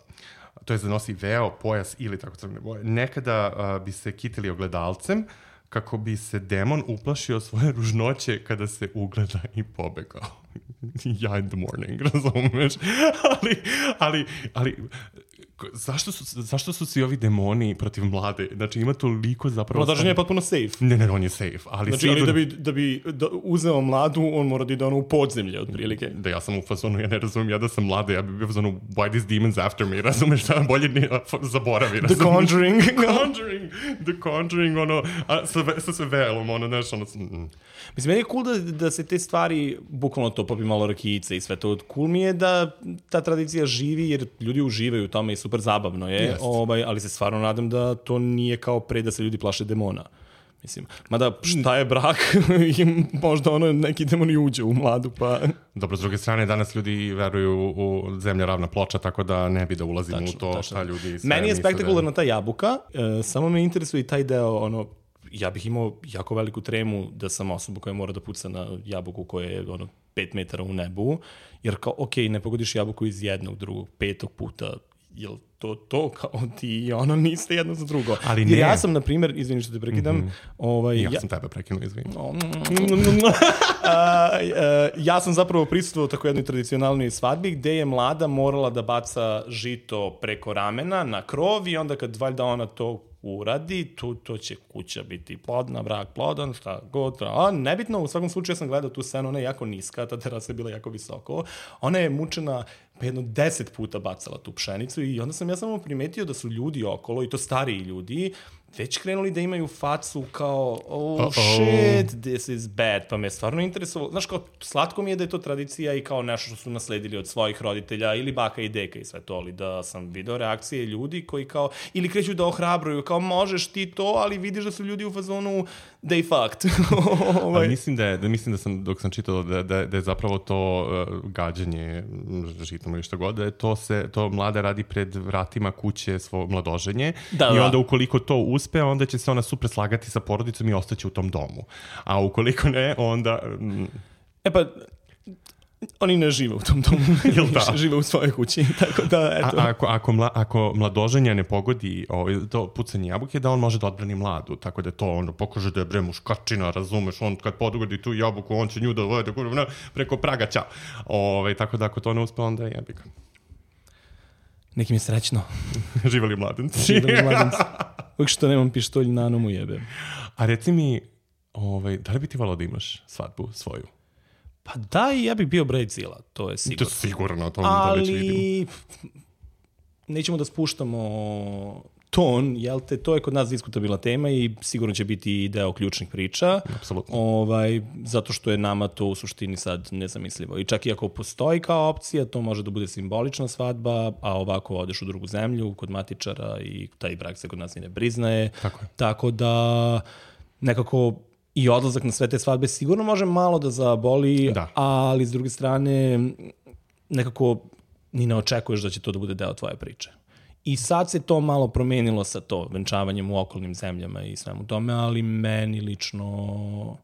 To je da nosi veo, pojas ili tako crvene boje. Nekada uh, bi se kitili ogledalcem kako bi se demon uplašio svoje ružnoće kada se ugleda i pobegao. Ja in the morning, razumeš? ali, ali, ali zašto su, zašto su svi ovi demoni protiv mlade? Znači ima toliko zapravo... Mladoženje je potpuno safe. Ne, ne, on je safe. Ali znači, ali da bi, da bi da uzeo mladu, on mora da ide ono u podzemlje, otprilike. Da, ja sam u fazonu, ja ne razumim, ja da sam mlada, ja bih bio u fazonu, why these demons after me? Razumeš, šta bolje ni, zaboravi. The Conjuring. The Conjuring. The Conjuring, ono, a, sa, sa sve velom, ono, znaš, ono... Mm. Mislim, meni je cool da, da se te stvari, bukvalno to popi malo rakijice i sve to. Cool mi je da ta tradicija živi, jer ljudi uživaju u tome i super zabavno je, ovaj, ali se stvarno nadam da to nije kao pre da se ljudi plaše demona. Mislim, mada šta je brak i možda ono neki demon i uđe u mladu, pa... Dobro, s druge strane, danas ljudi veruju u zemlja ravna ploča, tako da ne bi da ulazimo tačno, u to tačno. Šta ljudi sve meni je spektakularna da... ta jabuka, e, samo me interesuje i taj deo, ono, ja bih imao jako veliku tremu da sam osoba koja mora da puca na jabuku koja je ono pet metara u nebu, jer kao, ok, ne pogodiš jabuku iz jednog, drugog, petog puta, jel to to kao ti i ono niste jedno za drugo. Ali jer ja sam, na primjer, izvini što te prekidam, mm-hmm. ovaj, ja, ja sam tebe prekinuo, izvini. uh, uh, ja sam zapravo prisustvovao tako jednoj tradicionalnoj svadbi gde je mlada morala da baca žito preko ramena na krov i onda kad valjda ona to uradi, tu, to će kuća biti plodna, brak plodan, šta god. A nebitno, u svakom slučaju ja sam gledao tu scenu, ona je jako niska, ta terasa je bila jako visoko. Ona je mučena, pa jedno deset puta bacala tu pšenicu i onda sam ja samo primetio da su ljudi okolo, i to stariji ljudi, već krenuli da imaju facu kao oh Uh-oh. shit, this is bad, pa me stvarno interesovalo. Znaš, kao slatko mi je da je to tradicija i kao nešto što su nasledili od svojih roditelja ili baka i deka i sve to, ali da sam video reakcije ljudi koji kao, ili kreću da ohrabruju, kao možeš ti to, ali vidiš da su ljudi u fazonu they fucked. ovaj. mislim, da je, da mislim da sam, dok sam čitao da, da, da je zapravo to uh, gađanje žitom ili što god, da je to, se, to mlada radi pred vratima kuće svo mladoženje da, i onda da. Ukoliko to uspe, onda će se ona super slagati sa porodicom i ostaće u tom domu. A ukoliko ne, onda... E pa, Oni ne žive u tom domu, Jel da? žive u svojoj kući, tako da, eto. A, ako, ako, mla, ako mladoženja ne pogodi ovaj, to pucanje jabuke, da on može da odbrani mladu, tako da je to ono, pokaže da je bre muškačina, razumeš, on kad pogodi tu jabuku, on će nju da vode preko praga, ćao. Ovaj, tako da ako to ne uspe, onda je jebika. Nekim je srećno. Živeli mladenci. Živeli mladenci. Uvijek što nemam pištolj na nomu jebe. A reci mi, ovaj, da li bi ti volao da imaš svadbu svoju? Pa da, i ja bih bio Brazila, to je sigurno. To je sigurno, to ali... već vidim. Nećemo da spuštamo ton, jel te, to je kod nas diskutabilna tema i sigurno će biti deo ključnih priča. Apsolutno. Ovaj, zato što je nama to u suštini sad nezamislivo. I čak i ako postoji kao opcija, to može da bude simbolična svadba, a ovako odeš u drugu zemlju, kod matičara i taj brak se kod nas i ne priznaje. Tako je. Tako da nekako i odlazak na sve te svadbe sigurno može malo da zaboli, da. Ali s druge strane nekako ni ne očekuješ da će to da bude deo tvoje priče. I sad se to malo promenilo sa to, venčavanjem u okolnim zemljama i svemu tome, ali meni lično...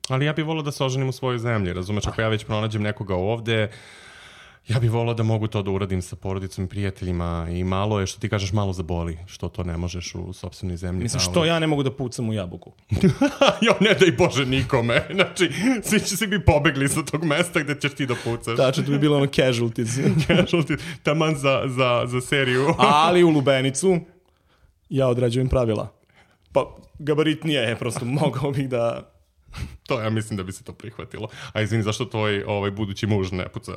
Ali ja bih volao da se oženim u svojoj zemlji, razumeš, ako ja već pronađem nekoga ovde, ja bih volao da mogu to da uradim sa porodicom i prijateljima i malo je, što ti kažeš, malo zaboli, što to ne možeš u sopstvenoj zemlji. Mislim, što ja ne mogu da pucam u jabuku? Jo, ne daj Bože nikome. Znači, svi će svi bi pobegli sa tog mesta gde ćeš ti da pucaš. Tačno, to bi bilo ono casualties. Casualties, taman za, za, za seriju. Ali u Lubenicu ja odrađujem pravila. Pa, gabaritnije je, prosto mogao bih da... To ja mislim da bi se to prihvatilo. A izvini, zašto tvoj ovaj, budući muž ne puca?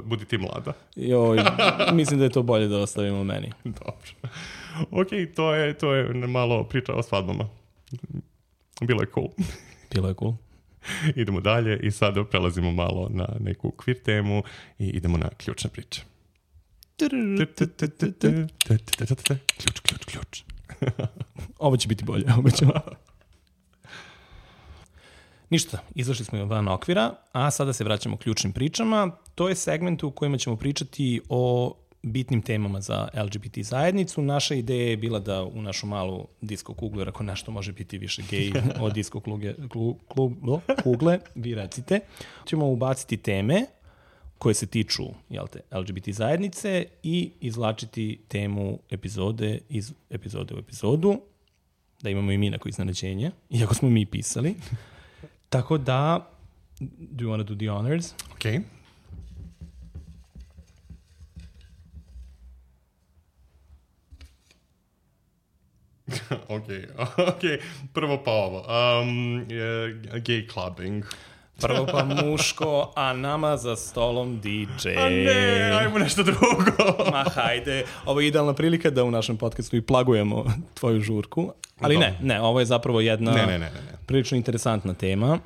Budi ti mlada. Joj, mislim da je to bolje da ostavimo meni. Dobro. Ok, to je, to je malo priča o svadbama. Bilo je cool. Bilo je cool. Idemo dalje i sada prelazimo malo na neku queer temu i idemo na ključne priče. Ključ, ključ, ključ. Ovo će biti bolje, obećam. Ništa, izašli smo van okvira, a sada se vraćamo ključnim pričama. To je segment u kojima ćemo pričati o bitnim temama za L G B T zajednicu. Naša ideja je bila da u našu malu disko kuglu, jer ako nešto može biti više gej od disko kluge, klu, klu, kugle, vi recite, ćemo ubaciti teme koje se tiču, jel te, L G B T zajednice i izvlačiti temu epizode iz epizode u epizodu, da imamo i mi neko iznenađenje, iako smo mi pisali. Tako da, do you want to do the honors? Okay. ok, ok. Prvo pa ovo. Um, uh, gay clubbing. Prvo pa muško, a nama za stolom D J. A ne, ajmo nešto drugo. Ma hajde, ovo je idealna prilika da u našem podcastu i plagujemo tvoju žurku. Ali ne, ne, ovo je zapravo jedna ne, ne, ne, ne. prilično interesantna tema.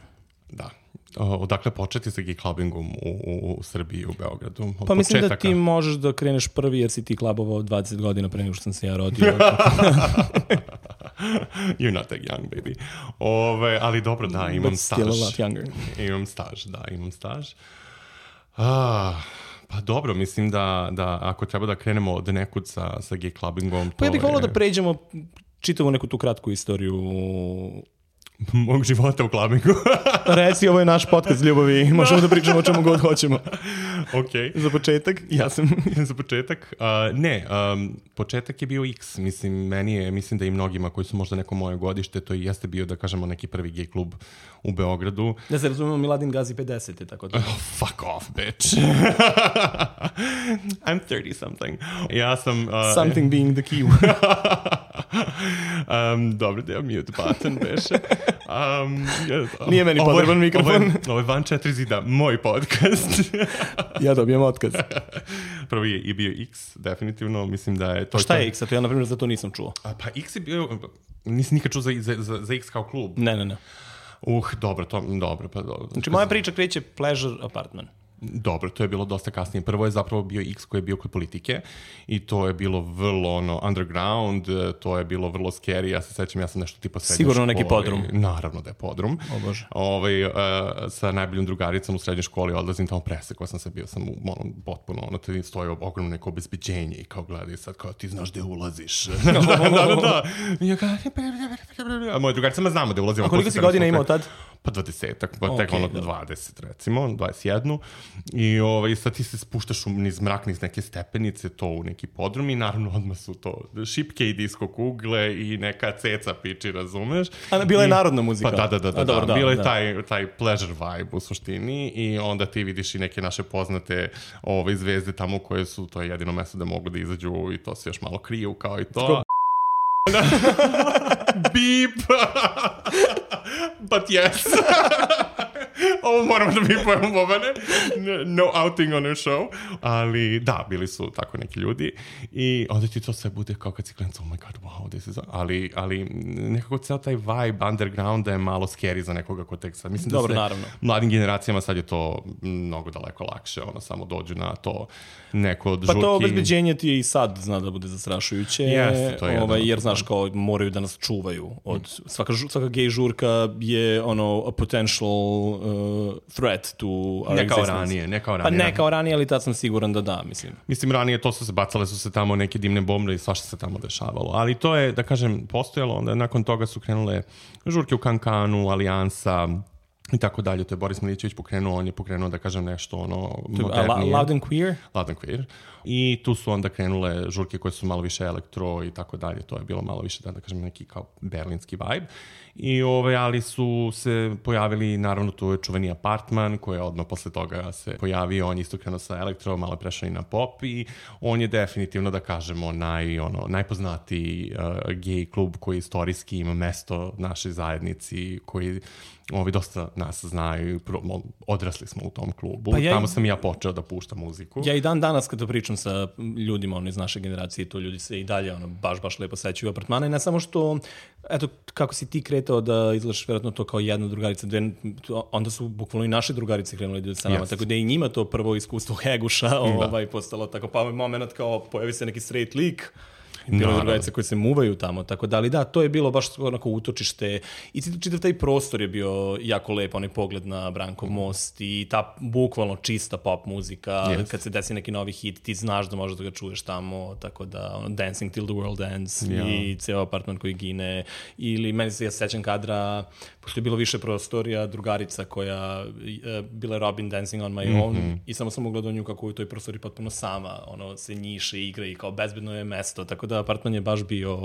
Da. Odakle početi sa gay clubbingom u, u, u Srbiji, u Beogradu? Od pa mislim početaka. Da ti možeš da kreneš prvi jer si ti klubovao dvadeset godina pre nego što sam se ja rodio. You're not that young, baby. Ove, ali dobro, da, imam But staž. still a lot younger. Imam staž, da, imam staž. Ah, pa dobro, mislim da, da ako treba da krenemo od nekud sa, sa gay clubbingom... Pa ja bih volao je... da pređemo čitavu neku tu kratku istoriju... mog života u clubbingu. Reci, ovo je naš podcast ljubavi, možemo da pričamo o čemu god hoćemo. Ok. Za početak, ja sam... Za početak? Uh, ne, um, početak je bio X. Mislim, meni je, mislim da i mnogima koji su možda neko moje godište, to i jeste bio, da kažemo, neki prvi gay klub u Beogradu. Da se razumemo, Miladin gazi pedeset, tako da... Oh, fuck off, bitch. I'm thirty something. Ja sam... Uh, Something being the key. um, dobro, da je mute button, beše. Um, yeah, Nije meni potreban mikrofon. Ovo je, ovo je van četiri zida, moj podcast. Ja dobijem otkaz. Prvi je i bio X, definitivno, mislim da je... To šta je X? A to ja, na primjer, za to nisam čuo. A, pa X je bio... Nisi nikad čuo za, za, za X kao klub? Ne, ne, ne. Uh, dobro, to, dobro, pa dobro. Znači, moja priča kreće Pleasure Apartment. Dobro, to je bilo dosta kasnije. Prvo je zapravo bio X koji je bio kod politike i to je bilo vrlo ono, underground, to je bilo vrlo scary. Ja se sećam, ja sam nešto tipa srednje sigurno škole. Neki podrum. Naravno da je podrum. O Bože. Ovaj, uh, sa najboljom drugaricom u srednjoj školi odlazim tamo presekao sam se, bio sam u ono, potpuno, ono, te stoji ogromno neko obezbeđenje i kao gledaj sad, kao ti znaš gde ulaziš. da, da, da, da. I ja kao, a moja drugarica me znamo gde ulazimo. A koliko si godina imao tad? pa dvadesetak, pa Okay, tek ono dobro. dvadeset recimo, dvadeset jedan. I ovaj, sad ti se spuštaš u niz mrak, niz neke stepenice, to u neki podrum i naravno odmah su to šipke i disko kugle i neka ceca piči, razumeš? A bila je I, narodna muzika. Pa da, da, da, da, A, dobro, da. da, Bilo je da. taj, taj pleasure vibe u suštini i onda ti vidiš i neke naše poznate ove, zvezde tamo koje su, to je jedino mesto da mogu da izađu i to se još malo kriju kao i to. Tako- Beep! But yes. Ovo moramo da bipujemo, Bobane. No outing on your show. Ali da, bili su tako neki ljudi. I onda ti to sve bude kao kad si klijent, oh my god, wow, this is... Ali, ali nekako ceo taj vibe undergrounda je malo scary za nekoga ko tek sad. Mislim Dobro, da se naravno. mladim generacijama sad je to mnogo daleko lakše. Ono, samo dođu na to neko od Pa žurki. to obezbeđenje ti je i sad zna da bude zastrašujuće, Jeste, to je jedno ovaj, od jer toga. znaš kao moraju da nas čuvaju. Od, svaka, žu- svaka gej žurka je ono a potential uh, threat to our Ne kao existence. ranije, ne kao Pa ranije. ne kao ranije, ali tad sam siguran da da, mislim. Mislim, ranije to su se bacale, su se tamo neke dimne bombe i svašta se tamo dešavalo. Ali to je, da kažem, postojalo. Onda nakon toga su krenule žurke u Kankanu, Alijansa i tako dalje. To je Boris Milićević pokrenuo, on je pokrenuo, da kažem, nešto ono A, la, modernije. loud and queer? Loud and Queer. I tu su onda krenule žurke koje su malo više elektro i tako dalje. To je bilo malo više, da, da kažem, neki kao berlinski vibe. I ovaj, ali su se pojavili, naravno, tu je čuveni Apartman, koji je odmah posle toga se pojavio. On je isto krenuo sa elektro, malo je prešao i na pop i on je definitivno, da kažemo, naj, ono, najpoznatiji uh, gay klub koji istorijski ima mesto našoj zajednici, koji ovi dosta nas znaju, pro- odrasli smo u tom klubu. Pa ja i- Tamo sam i ja počeo da puštam muziku. Ja i dan danas kada pričam sa ljudima ono, iz naše generacije, to ljudi se i dalje ono, baš, baš lepo sećaju apartmana i ne samo što, eto, kako si ti kretao da izgledaš vjerojatno to kao jedna drugarica, dve, to- onda su bukvalno i naše drugarice krenule da idu sa nama, Jest. tako da je i njima to prvo iskustvo heguša ovaj, postalo tako, pa moment kao pojavi se neki straight lik, bilo je Naravno. drugarice koje se muvaju tamo, tako da, ali da, to je bilo baš onako utočište i čitav čitav taj prostor je bio jako lep, onaj pogled na Brankov most i ta bukvalno čista pop muzika, Yes. kad se desi neki novi hit, ti znaš da možeš da ga čuješ tamo, tako da, ono, Dancing Till the World Ends Ja. i ceo apartman koji gine, ili meni se ja sećam kadra, pošto je bilo više prostorija, drugarica koja je bila Robin Dancing on My Own Mhm. i samo sam ugledao nju kako u toj prostoriji potpuno sama, ono, se njiše, igra i kao bezbedno je mesto, tako da apartman je baš bio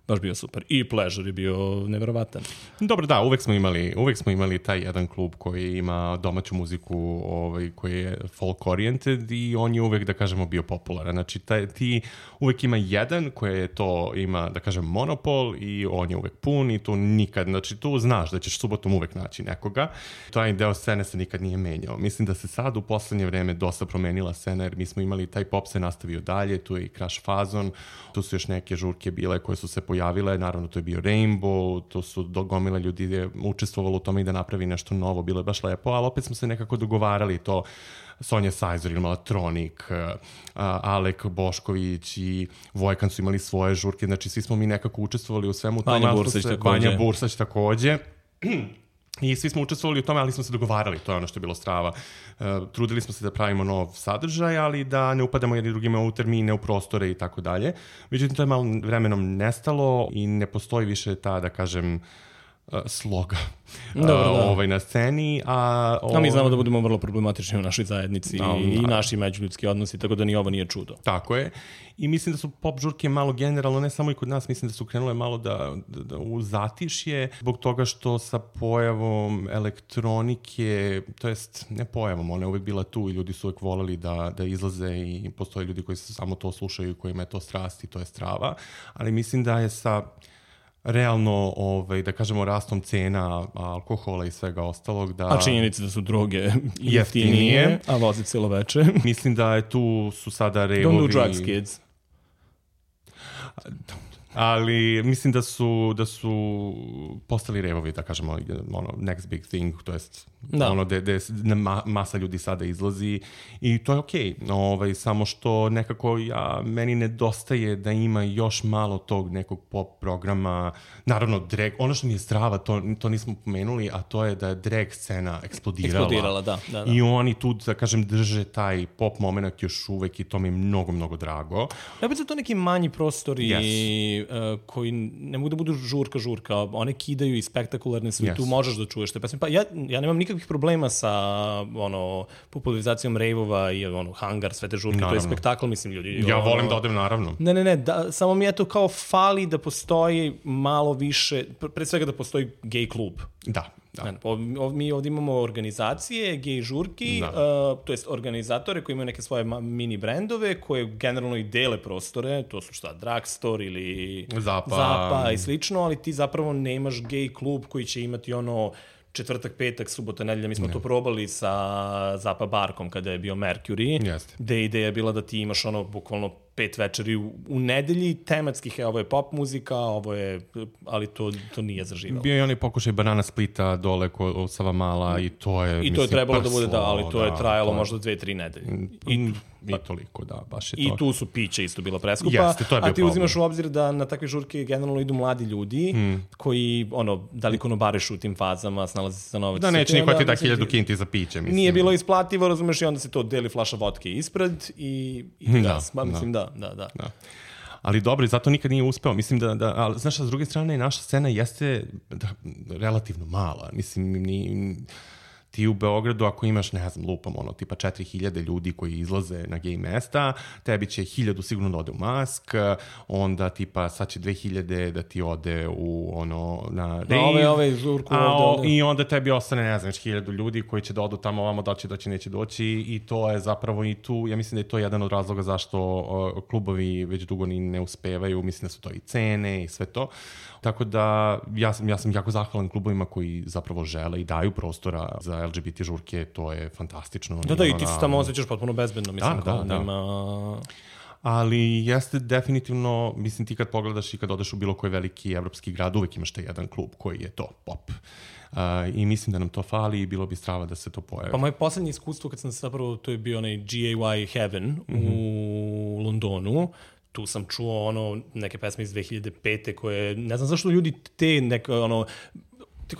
baš bio super. I Pleasure je bio neverovatan. Dobro, da, uvek smo imali, uvek smo imali taj jedan klub koji ima domaću muziku, ovaj, koji je folk oriented i on je uvek, da kažemo, bio popularan. Znači, taj, ti uvek ima jedan koji je to, ima, da kažem, monopol i on je uvek pun i tu nikad, znači, tu znaš da ćeš subotom uvek naći nekoga. Taj deo scene se nikad nije menjao. Mislim da se sad u poslednje vreme dosta promenila scena, jer mi smo imali, taj pop se nastavio dalje, tu je i Crash Fazon, tu su još neke žurke bile koje su se pojavile, naravno to je bio Rainbow, to su gomila ljudi je učestvovalo u tome i da napravi nešto novo, bilo je baš lepo, ali opet smo se nekako dogovarali to. Sonja Sajzor imala Tronik, Alek Bošković i Vojkan su imali svoje žurke, znači svi smo mi nekako učestvovali u svemu tome. Vanja Bursać takođe. Vanja Bursać takođe. I svi smo učestvovali u tome, ali smo se dogovarali, to je ono što je bilo strava. Uh, trudili smo se da pravimo nov sadržaj, ali da ne upadamo jedni drugima u termine, u prostore i tako dalje. Međutim, to je malo vremenom nestalo i ne postoji više ta, da kažem, uh, sloga Dobro, da. uh, ovaj, na sceni. A, A mi znamo da budemo vrlo problematični u našoj zajednici No, i da. naši međuljudski odnosi, tako da ni ovo nije čudo. Tako je. I mislim da su pop žurke malo generalno, ne samo i kod nas, mislim da su krenule malo da, da, da u zatišje, zbog toga što sa pojavom elektronike, to jest ne pojavom, ona je uvek bila tu i ljudi su uvek voleli da, da izlaze i postoje ljudi koji se samo to slušaju i kojima je to strast i to je strava, ali mislim da je sa realno, ovaj, da kažemo, rastom cena alkohola i svega ostalog, da... A činjenica da su droge Jeftinije. jeftinije, a vozi celo veče. Mislim da je tu su sada revovi... Don't do drugs, kids. Ali mislim da su da su postali revovi, da kažemo, ono next big thing, to jest Da. ono gde, gde ma, masa ljudi sada izlazi i to je okej. Okay. Ovaj, samo što nekako ja, meni nedostaje da ima još malo tog nekog pop programa. Naravno, drag, ono što mi je strava, to, to nismo pomenuli, a to je da je drag scena eksplodirala. Eksplodirala, da, da, da. I oni tu, da kažem, drže taj pop moment još uvek i to mi je mnogo, mnogo drago. Opet su to neki manji prostori Yes. ovaj, uh, koji ne mogu da budu žurka, žurka, one kidaju i spektakularne su, yes. Tu možeš da čuješ te pesme. Pa ja, ja nemam nikakvih problema sa ono, popularizacijom rejvova i ono, hangar, sve te žurke, naravno. To je spektakl, mislim, ljudi. Ja ono, volim da odem, naravno. Ne, ne, ne, da, samo mi je to kao fali da postoji malo više, pre svega da postoji gej klub. Da. Da. Mi ovdje imamo organizacije, gej žurki, uh, to jest organizatore koji imaju neke svoje mini brendove koje generalno i dele prostore, to su šta, Drugstore ili Zapa, Zapa i slično, ali ti zapravo nemaš gej klub koji će imati ono četvrtak, petak, subota, nedelja. Mi smo ne. to probali sa Zapa Barkom kada je bio Mercury, Jeste. gde ideja je bila da ti imaš ono bukvalno pet večeri u, u nedelji tematskih, ovo je pop muzika, ovo je, ali to, to nije zaživalo. Bio je onaj pokušaj Banana Splita dole kod Savamala i to je, I mislim, to je trebalo prslo, da bude, da, ali to da, je trajalo to... možda dve, tri nedelje. I, I, I toliko, da, baš je to. I tu su piće isto bila preskupa, Jeste, to je bio a ti problem. Uzimaš u obzir da na takve žurke generalno idu mladi ljudi mm. koji, ono, da li konobarišu u tim fazama, snalaze se za novac. Da, neće niko ti da hiljadu kinti za piće, mislim. Nije bilo isplativo, razumeš, i onda se to deli flaša vodke ispred i, i da, gas. Ma, mislim, da, da, da. da. Ali dobro, zato nikad nije uspeo. Mislim da, da ali, znaš, s druge strane, naša scena jeste da, relativno mala. Mislim, ni, ti u Beogradu, ako imaš, ne znam, lupam, ono, tipa četiri hiljade ljudi koji izlaze na gej mesta, tebi će hiljadu sigurno da ode u Mask, onda tipa sad će dve hiljade da ti ode u, ono, na rave. Ove, ove, žurku a, ovde, ovde. I onda tebi ostane, ne znam, hiljadu ljudi koji će da odu tamo, ovamo, da će doći, neće doći i to je zapravo i tu, ja mislim da je to jedan od razloga zašto o, klubovi već dugo ni ne uspevaju, mislim da su to i cene i sve to. Tako da ja sam, ja sam jako zahvalan klubovima koji zapravo žele i daju prostora za el ge be te žurke, to je fantastično. Da, da, i ti se tamo osjećaš potpuno bezbedno, mislim, da, kao da, nema... Da. Ali jeste definitivno, mislim, ti kad pogledaš i kad odeš u bilo koji veliki evropski grad, uvek imaš taj jedan klub koji je to pop. Uh, I mislim da nam to fali i bilo bi strava da se to pojavi. Pa moje poslednje iskustvo kad sam zapravo, to je bio onaj G A Y Heaven mm-hmm. u Londonu, tu sam čuo ono neke pesme iz dve hiljade pete koje, ne znam zašto ljudi te neke, ono,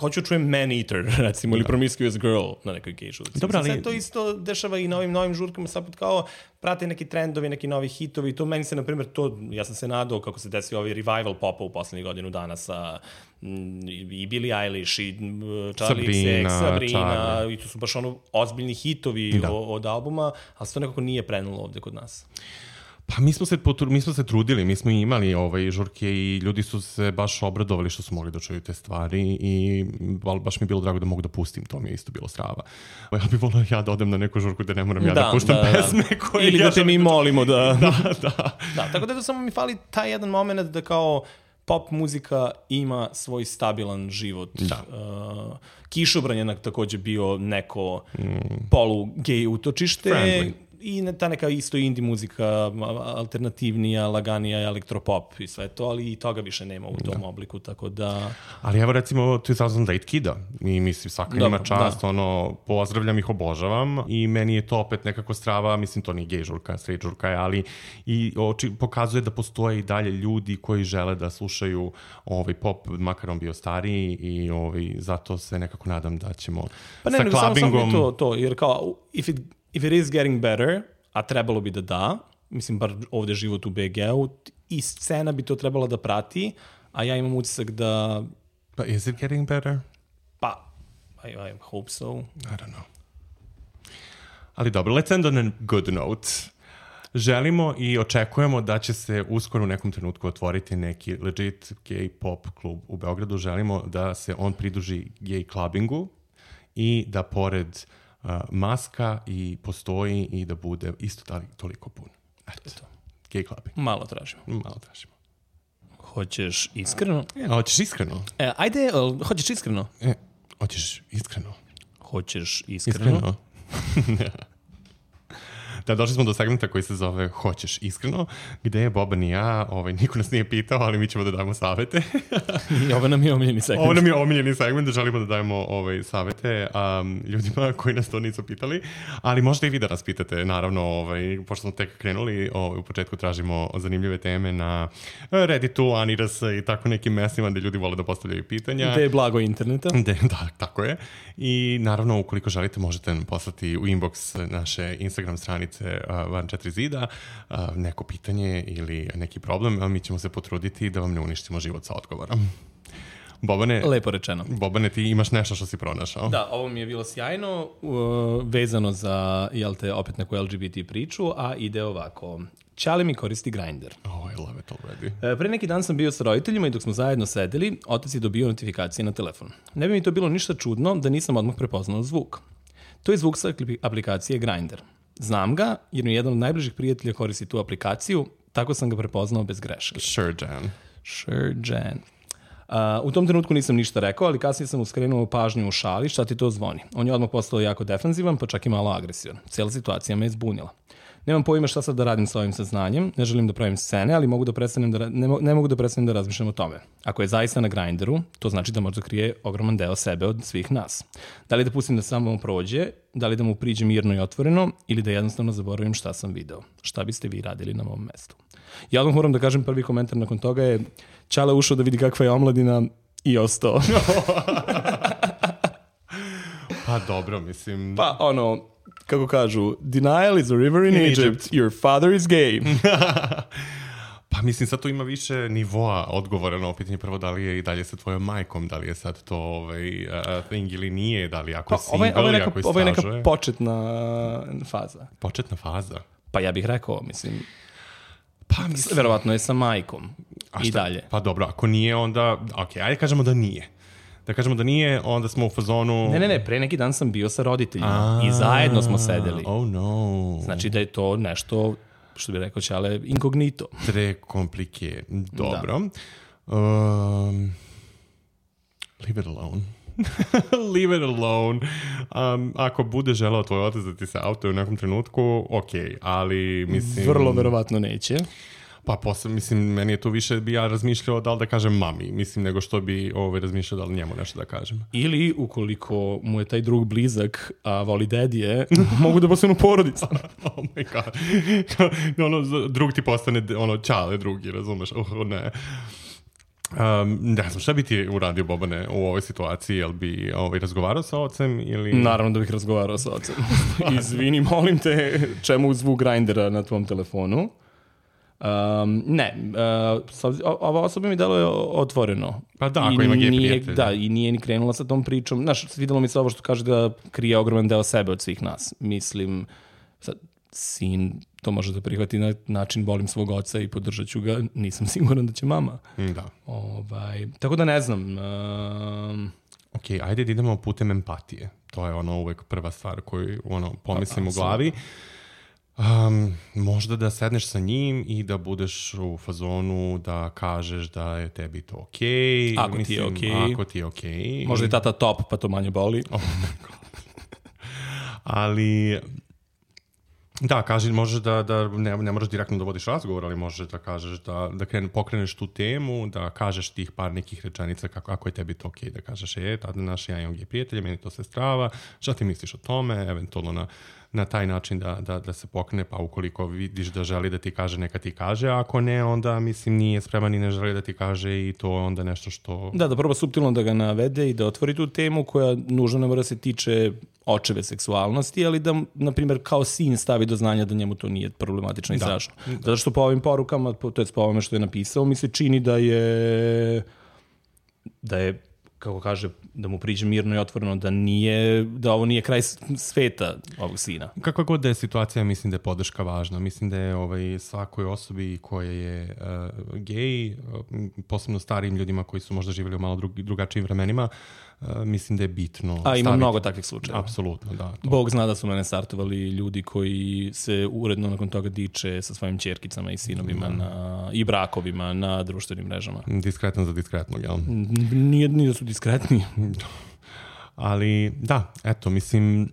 hoću čujem Man Eater, recimo, ili Promiscuous Girl na nekoj gej žurci. Dobro, ali... Sad to isto dešava i na ovim novim žurkama, sad kao prate neki trendovi, neki novi hitovi, to meni se, na primjer, to, ja sam se nadao kako se desio ovaj revival popa u poslednjih godinu dana sa m, i Billie Eilish, i Charlie X C X, Sabrina, i to su baš ono ozbiljni hitovi o, od albuma, ali se to nekako nije prenulo ovde kod nas. Pa mi smo se potru, mi smo se trudili, mi smo imali ovaj žurke i ljudi su se baš obradovali što su mogli da čuju te stvari i baš mi je bilo drago da mogu da pustim, to mi je isto bilo strava. Ja bih volio ja da odem na neku žurku da ne moram ja da, da puštam da, pesme da. koje ili ja da te mi molimo da... da, da. Da, tako da, da samo mi fali taj jedan moment da kao pop muzika ima svoj stabilan život. Da. Uh, Kišobran je također bio neko mm. polu-gej utočište. Friendly. I ta neka isto indie muzika, alternativnija, laganija, elektropop i sve to, ali i toga više nema u tom da. obliku, tako da... Ali evo recimo two thousand eight Kida, i mislim svaka njima čast, da. ono, pozdravljam ih, obožavam i meni je to opet nekako strava, mislim to nije gej žurka, straight žurka je, ali i oči, pokazuje da postoje i dalje ljudi koji žele da slušaju ovaj pop, makar on bio stariji i ovaj, zato se nekako nadam da ćemo pa ne, sa klabingom... Pa ne, samo to, to, jer kao, if it If it is getting better, a trebalo bi da da, mislim, bar ovde život u be ge-u, i scena bi to trebala da prati, a ja imam utisak da... But is it getting better? Pa, I, I hope so. I don't know. Ali dobro, let's end on a good note. Želimo i očekujemo da će se uskoro u nekom trenutku otvoriti neki legit gay pop klub u Beogradu. Želimo da se on pridruži gay clubbingu i da pored Uh, maska i postoji i da bude isto tali, toliko pun. Eto, gay clubbing. Malo tražimo. Malo tražimo. Hoćeš iskreno? E, hoćeš iskreno? E, ajde, hoćeš iskreno? E, hoćeš iskreno? Hoćeš iskreno? Iskreno? Da, došli smo do segmenta koji se zove Hoćeš iskreno, gde je Boban i ja, ovaj, niko nas nije pitao, ali mi ćemo da dajemo savete. I ovo nam je omiljeni segment. Ovo nam je omiljeni segment, da želimo da dajemo ovaj, savete um, ljudima koji nas to nisu pitali, ali možete i vi da nas pitate, naravno, ovaj, pošto smo tek krenuli, ovaj, u početku tražimo zanimljive teme na Redditu, Aniras i tako nekim mestima gde ljudi vole da postavljaju pitanja. Gde je blago interneta. De, da, tako je. I naravno, ukoliko želite, možete nam poslati u inbox naše Instagram stranice porodice uh, van četiri zida, uh, neko pitanje ili neki problem, a mi ćemo se potruditi da vam ne uništimo život sa odgovorom. Bobane, Lepo rečeno. Bobane, ti imaš nešto što si pronašao? Da, ovo mi je bilo sjajno, uh, vezano za, jel te, opet neku L G B T priču, a ide ovako. Ćale mi koristi Grindr. Oh, I love it already. E, pre neki dan sam bio sa roditeljima i dok smo zajedno sedeli, otac je dobio notifikacije na telefon. Ne bi mi to bilo ništa čudno da nisam odmah prepoznao zvuk. To je zvuk sa aplikacije Grindr. Znam ga jer mi jedan od najbližih prijatelja koristi tu aplikaciju, tako sam ga prepoznao bez greške. Sure, Jan. Sure, Jan. Uh, u tom trenutku nisam ništa rekao, ali kasnije sam mu skrenuo pažnju u šali, šta ti to zvoni. On je odmah postao jako defenzivan, pa čak i malo agresivan. Cijela situacija me je zbunila. Nemam pojma šta sad da radim sa ovim saznanjem, ne želim da pravim scene, ali mogu da prestanem da, ne, ne mogu da prestanem da razmišljam o tome. Ako je zaista na Grindru, to znači da možda krije ogroman deo sebe od svih nas. Da li da pustim da samo prođe, da li da mu priđe mirno i otvoreno, ili da jednostavno zaboravim šta sam video. Šta biste vi radili na mom mestu? Ja odmah moram da kažem, prvi komentar nakon toga je Ćale ušao da vidi kakva je omladina i ostao. Pa dobro, mislim... Pa ono, kako kažu, denial is a river in, in Egypt. Egypt, your father is gay. Pa mislim, sad to ima više nivoa odgovora na pitanje. Prvo, da li je i dalje sa tvojom majkom, da li je sad to ovaj, uh, thing ili nije, da li ako je pa, single, ili ako je Ovo je neka početna faza. Početna faza? Pa ja bih rekao, mislim... Pa mislim... Verovatno je sa majkom A i dalje. Pa dobro, ako nije, onda... Ok, ajde kažemo da nije. Da kažemo da nije, onda smo u fazonu... Ne, ne, ne, pre neki dan sam bio sa roditeljima i zajedno smo sedeli. Oh no. Znači da je to nešto, što bi rekao Ćale, inkognito. Tre komplike. Dobro. Da. Um, leave it alone. Leave it alone. Um, ako bude želeo tvoj otac da ti se autuje u nekom trenutku, ok, ali mislim... Vrlo verovatno neće. Pa posle, mislim, meni je tu više bi ja razmišljao da li da kažem mami, mislim, nego što bi ovaj, razmišljao da li njemu nešto da kažem. Ili, ukoliko mu je taj drug blizak, a voli dedije, mogu da postanu porodica. Oh my god. ono, drug ti postane, ono, Ćale drugi, razumeš? Oh, ne. Um, ne znam, šta bi ti uradio, Bobane, u ovoj situaciji? Jel bi ovaj, razgovarao sa ocem ili... Naravno da bih razgovarao sa ocem. Izvini, molim te, čemu zvuk Grindera na tvom telefonu? Um, ne, uh, ova osoba mi delo je otvoreno. Pa da, ako I ima gej prijatelja. Da, i nije ni krenula sa tom pričom. Znaš, videlo mi se ovo što kaže da krije ogroman deo sebe od svih nas. Mislim, sad, sin to može da prihvati na način volim svog oca i podržat ću ga. Nisam siguran da će mama. Da. Ovaj, tako da ne znam. Um, ok, ajde da idemo putem empatije. To je ono uvek prva stvar koju ono, pomislim u glavi. Um, možda da sedneš sa njim i da budeš u fazonu da kažeš da je tebi to okej. Okay. Ako Mislim, ti je okej. Okay. Ako ti je okej. Okay. Možda je tata top, pa to manje boli. Oh my god. Ali... Da, kaži, možeš da, da ne, ne moraš direktno da vodiš razgovor, ali možeš da kažeš da, da krene, pokreneš tu temu, da kažeš tih par nekih rečenica kako, ako je tebi to okej, okay, da kažeš je, tada naš ja imam gej prijatelja, meni to se strava, šta ti misliš o tome, eventualno na, na taj način da, da, da se pokrene, pa ukoliko vidiš da želi da ti kaže, neka ti kaže, a ako ne, onda mislim nije spreman i ne želi da ti kaže i to je onda nešto što... Da, da proba suptilno da ga navede i da otvori tu temu koja nužno ne mora se tiče očeve seksualnosti, ali da, na primjer, kao sin stavi do znanja da njemu to nije problematično i da. strašno. Zato što po ovim porukama, to je po ovome što je napisao, mi se čini da je da je, kako kaže, da mu priđe mirno i otvoreno, da nije, da ovo nije kraj sveta ovog sina. Kakva god da je situacija, mislim da je podrška važna. Mislim da je ovaj, svakoj osobi koja je uh, gej, uh, posebno starijim ljudima koji su možda živjeli u malo drug, drugačijim vremenima, Uh, mislim da je bitno. A ima staviti. Mnogo takvih slučajeva. Apsolutno, da. To. Bog zna da su mene startovali ljudi koji se uredno nakon toga diče sa svojim ćerkicama i sinovima mm. na, i brakovima na društvenim mrežama. Diskretno za diskretnog, jel? Nije, nije da su diskretni. Ali, da, eto, mislim,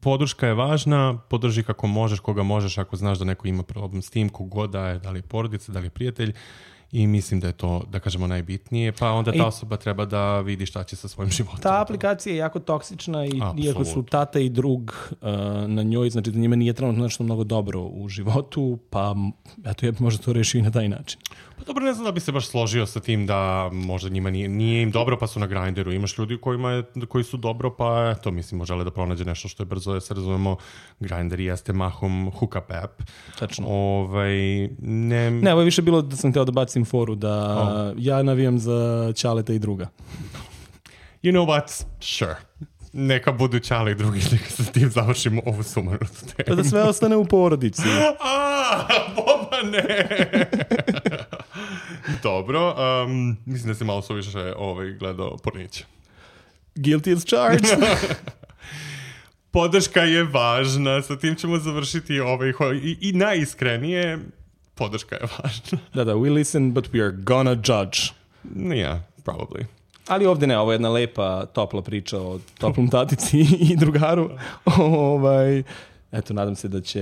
podrška je važna, podrži kako možeš, koga možeš, ako znaš da neko ima problem s tim, kogod da je, da li je porodica, da li je prijatelj. i mislim da je to, da kažemo, najbitnije, pa onda ta I, osoba treba da vidi šta će sa svojim životom. Ta aplikacija je jako toksična i Absolut. iako su tata i drug uh, na njoj, znači da njima nije trenutno nešto mnogo dobro u životu, pa eto, ja bi možda to rešio i na taj način. Pa dobro, ne znam da bi se baš složio sa tim da možda njima nije, nije im dobro pa su na Grindru. Imaš ljudi kojima je, koji su dobro pa eto, mislimo, žele da pronađe nešto što je brzo, da se razumemo, Grindr jeste mahom hookup app. Tačno. Ovaj, ne... ne, ovo je više bilo da sam hteo da bacim foru da Oh. ja navijam za Ćaleta i druga. You know what? Sure. Neka budu Ćale i drugi, neka sa tim završimo ovu sumanutu temu. Pa da sve ostane u porodici. A, Boba, ne! Dobro, um, mislim da si malo suviše ovaj, gledao Pornića. Guilty as charged. Podrška je važna, sa tim ćemo završiti ovaj, i, i najiskrenije, podrška je važna. Da, da, we listen, but we are gonna judge. Yeah, probably. Ali ovde ne, ovo je jedna lepa, topla priča o toplom tatici i drugaru. ovaj, eto, nadam se da će...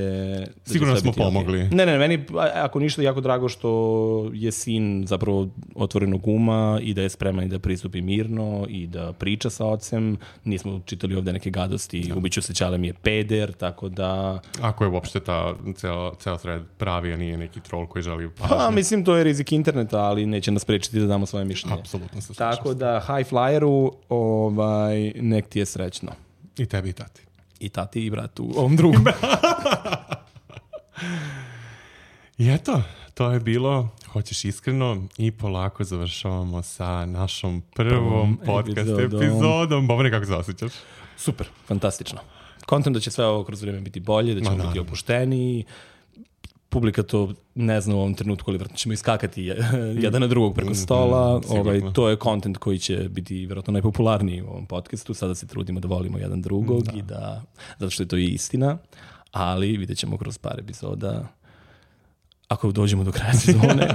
Da Sigurno će sve smo biti pomogli. Okay. Ne, ne, meni, ako ništa, jako drago što je sin zapravo otvorenog uma i da je spreman i da pristupi mirno i da priča sa ocem. Nismo čitali ovde neke gadosti, da. Ubiću se, Ćale mi je peder, tako da... Ako je uopšte ta ceo, ceo thread pravi, a nije neki troll koji želi pažnju. Pa, mislim, to je rizik interneta, ali neće nas prečiti da damo svoje mišljenje. Apsolutno se slažem. Tako da, high flyeru, ovaj, nek ti je srećno. I tebi i tati. I tati i bratu, ovom drugom. I eto, to je bilo Hoćeš iskreno i polako završavamo sa našom prvom podcast epizodom. epizodom. Bobane, kako se osjećaš? Super, fantastično. Kontent da će sve ovo kroz vrijeme biti bolje, da ćemo Ma, biti opušteniji. Publika to ne zna u ovom trenutku, ali vjerojatno ćemo iskakati jedan na drugog preko stola. Mm, ovaj, to je kontent koji će biti vjerojatno najpopularniji u ovom podcastu. Sada se trudimo da volimo jedan drugog da. i da, zato što je to i istina, ali vidjet ćemo kroz par epizoda. Ako dođemo do kraja sezone,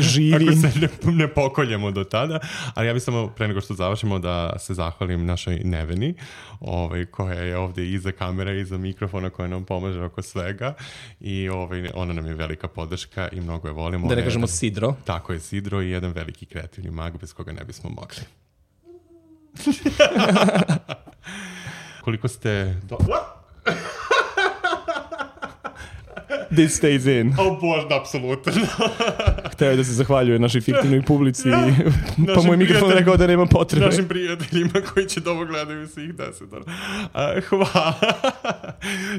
živi. Ako se ne, ne pokoljemo do tada. Ali ja bih samo, pre nego što završimo, da se zahvalim našoj Neveni, ovaj, koja je ovdje iza kamera, iza mikrofona, koja nam pomaže oko svega. I ovaj, ona nam je velika podrška i mnogo je volimo. Da ne kažemo Sidro. Tako je, Sidro i jedan veliki kreativni mag bez koga ne bismo mogli. Koliko ste... Do... This stays in. O Bože, apsolutno. Hteo je da se zahvaljuje našoj fiktivnoj publici, pa moj mikrofon rekao da nema potrebe. Našim prijateljima koji će da ovo gledaju svih deset. Uh, hvala.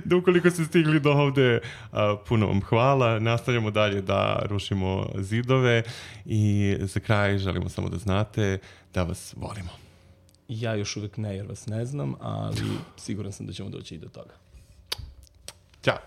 Da ukoliko ste stigli do ovde, uh, puno vam hvala. Nastavljamo dalje da rušimo zidove i za kraj želimo samo da znate da vas volimo. Ja još uvek ne, jer vas ne znam, ali siguran sam da ćemo doći i do toga. Ćao.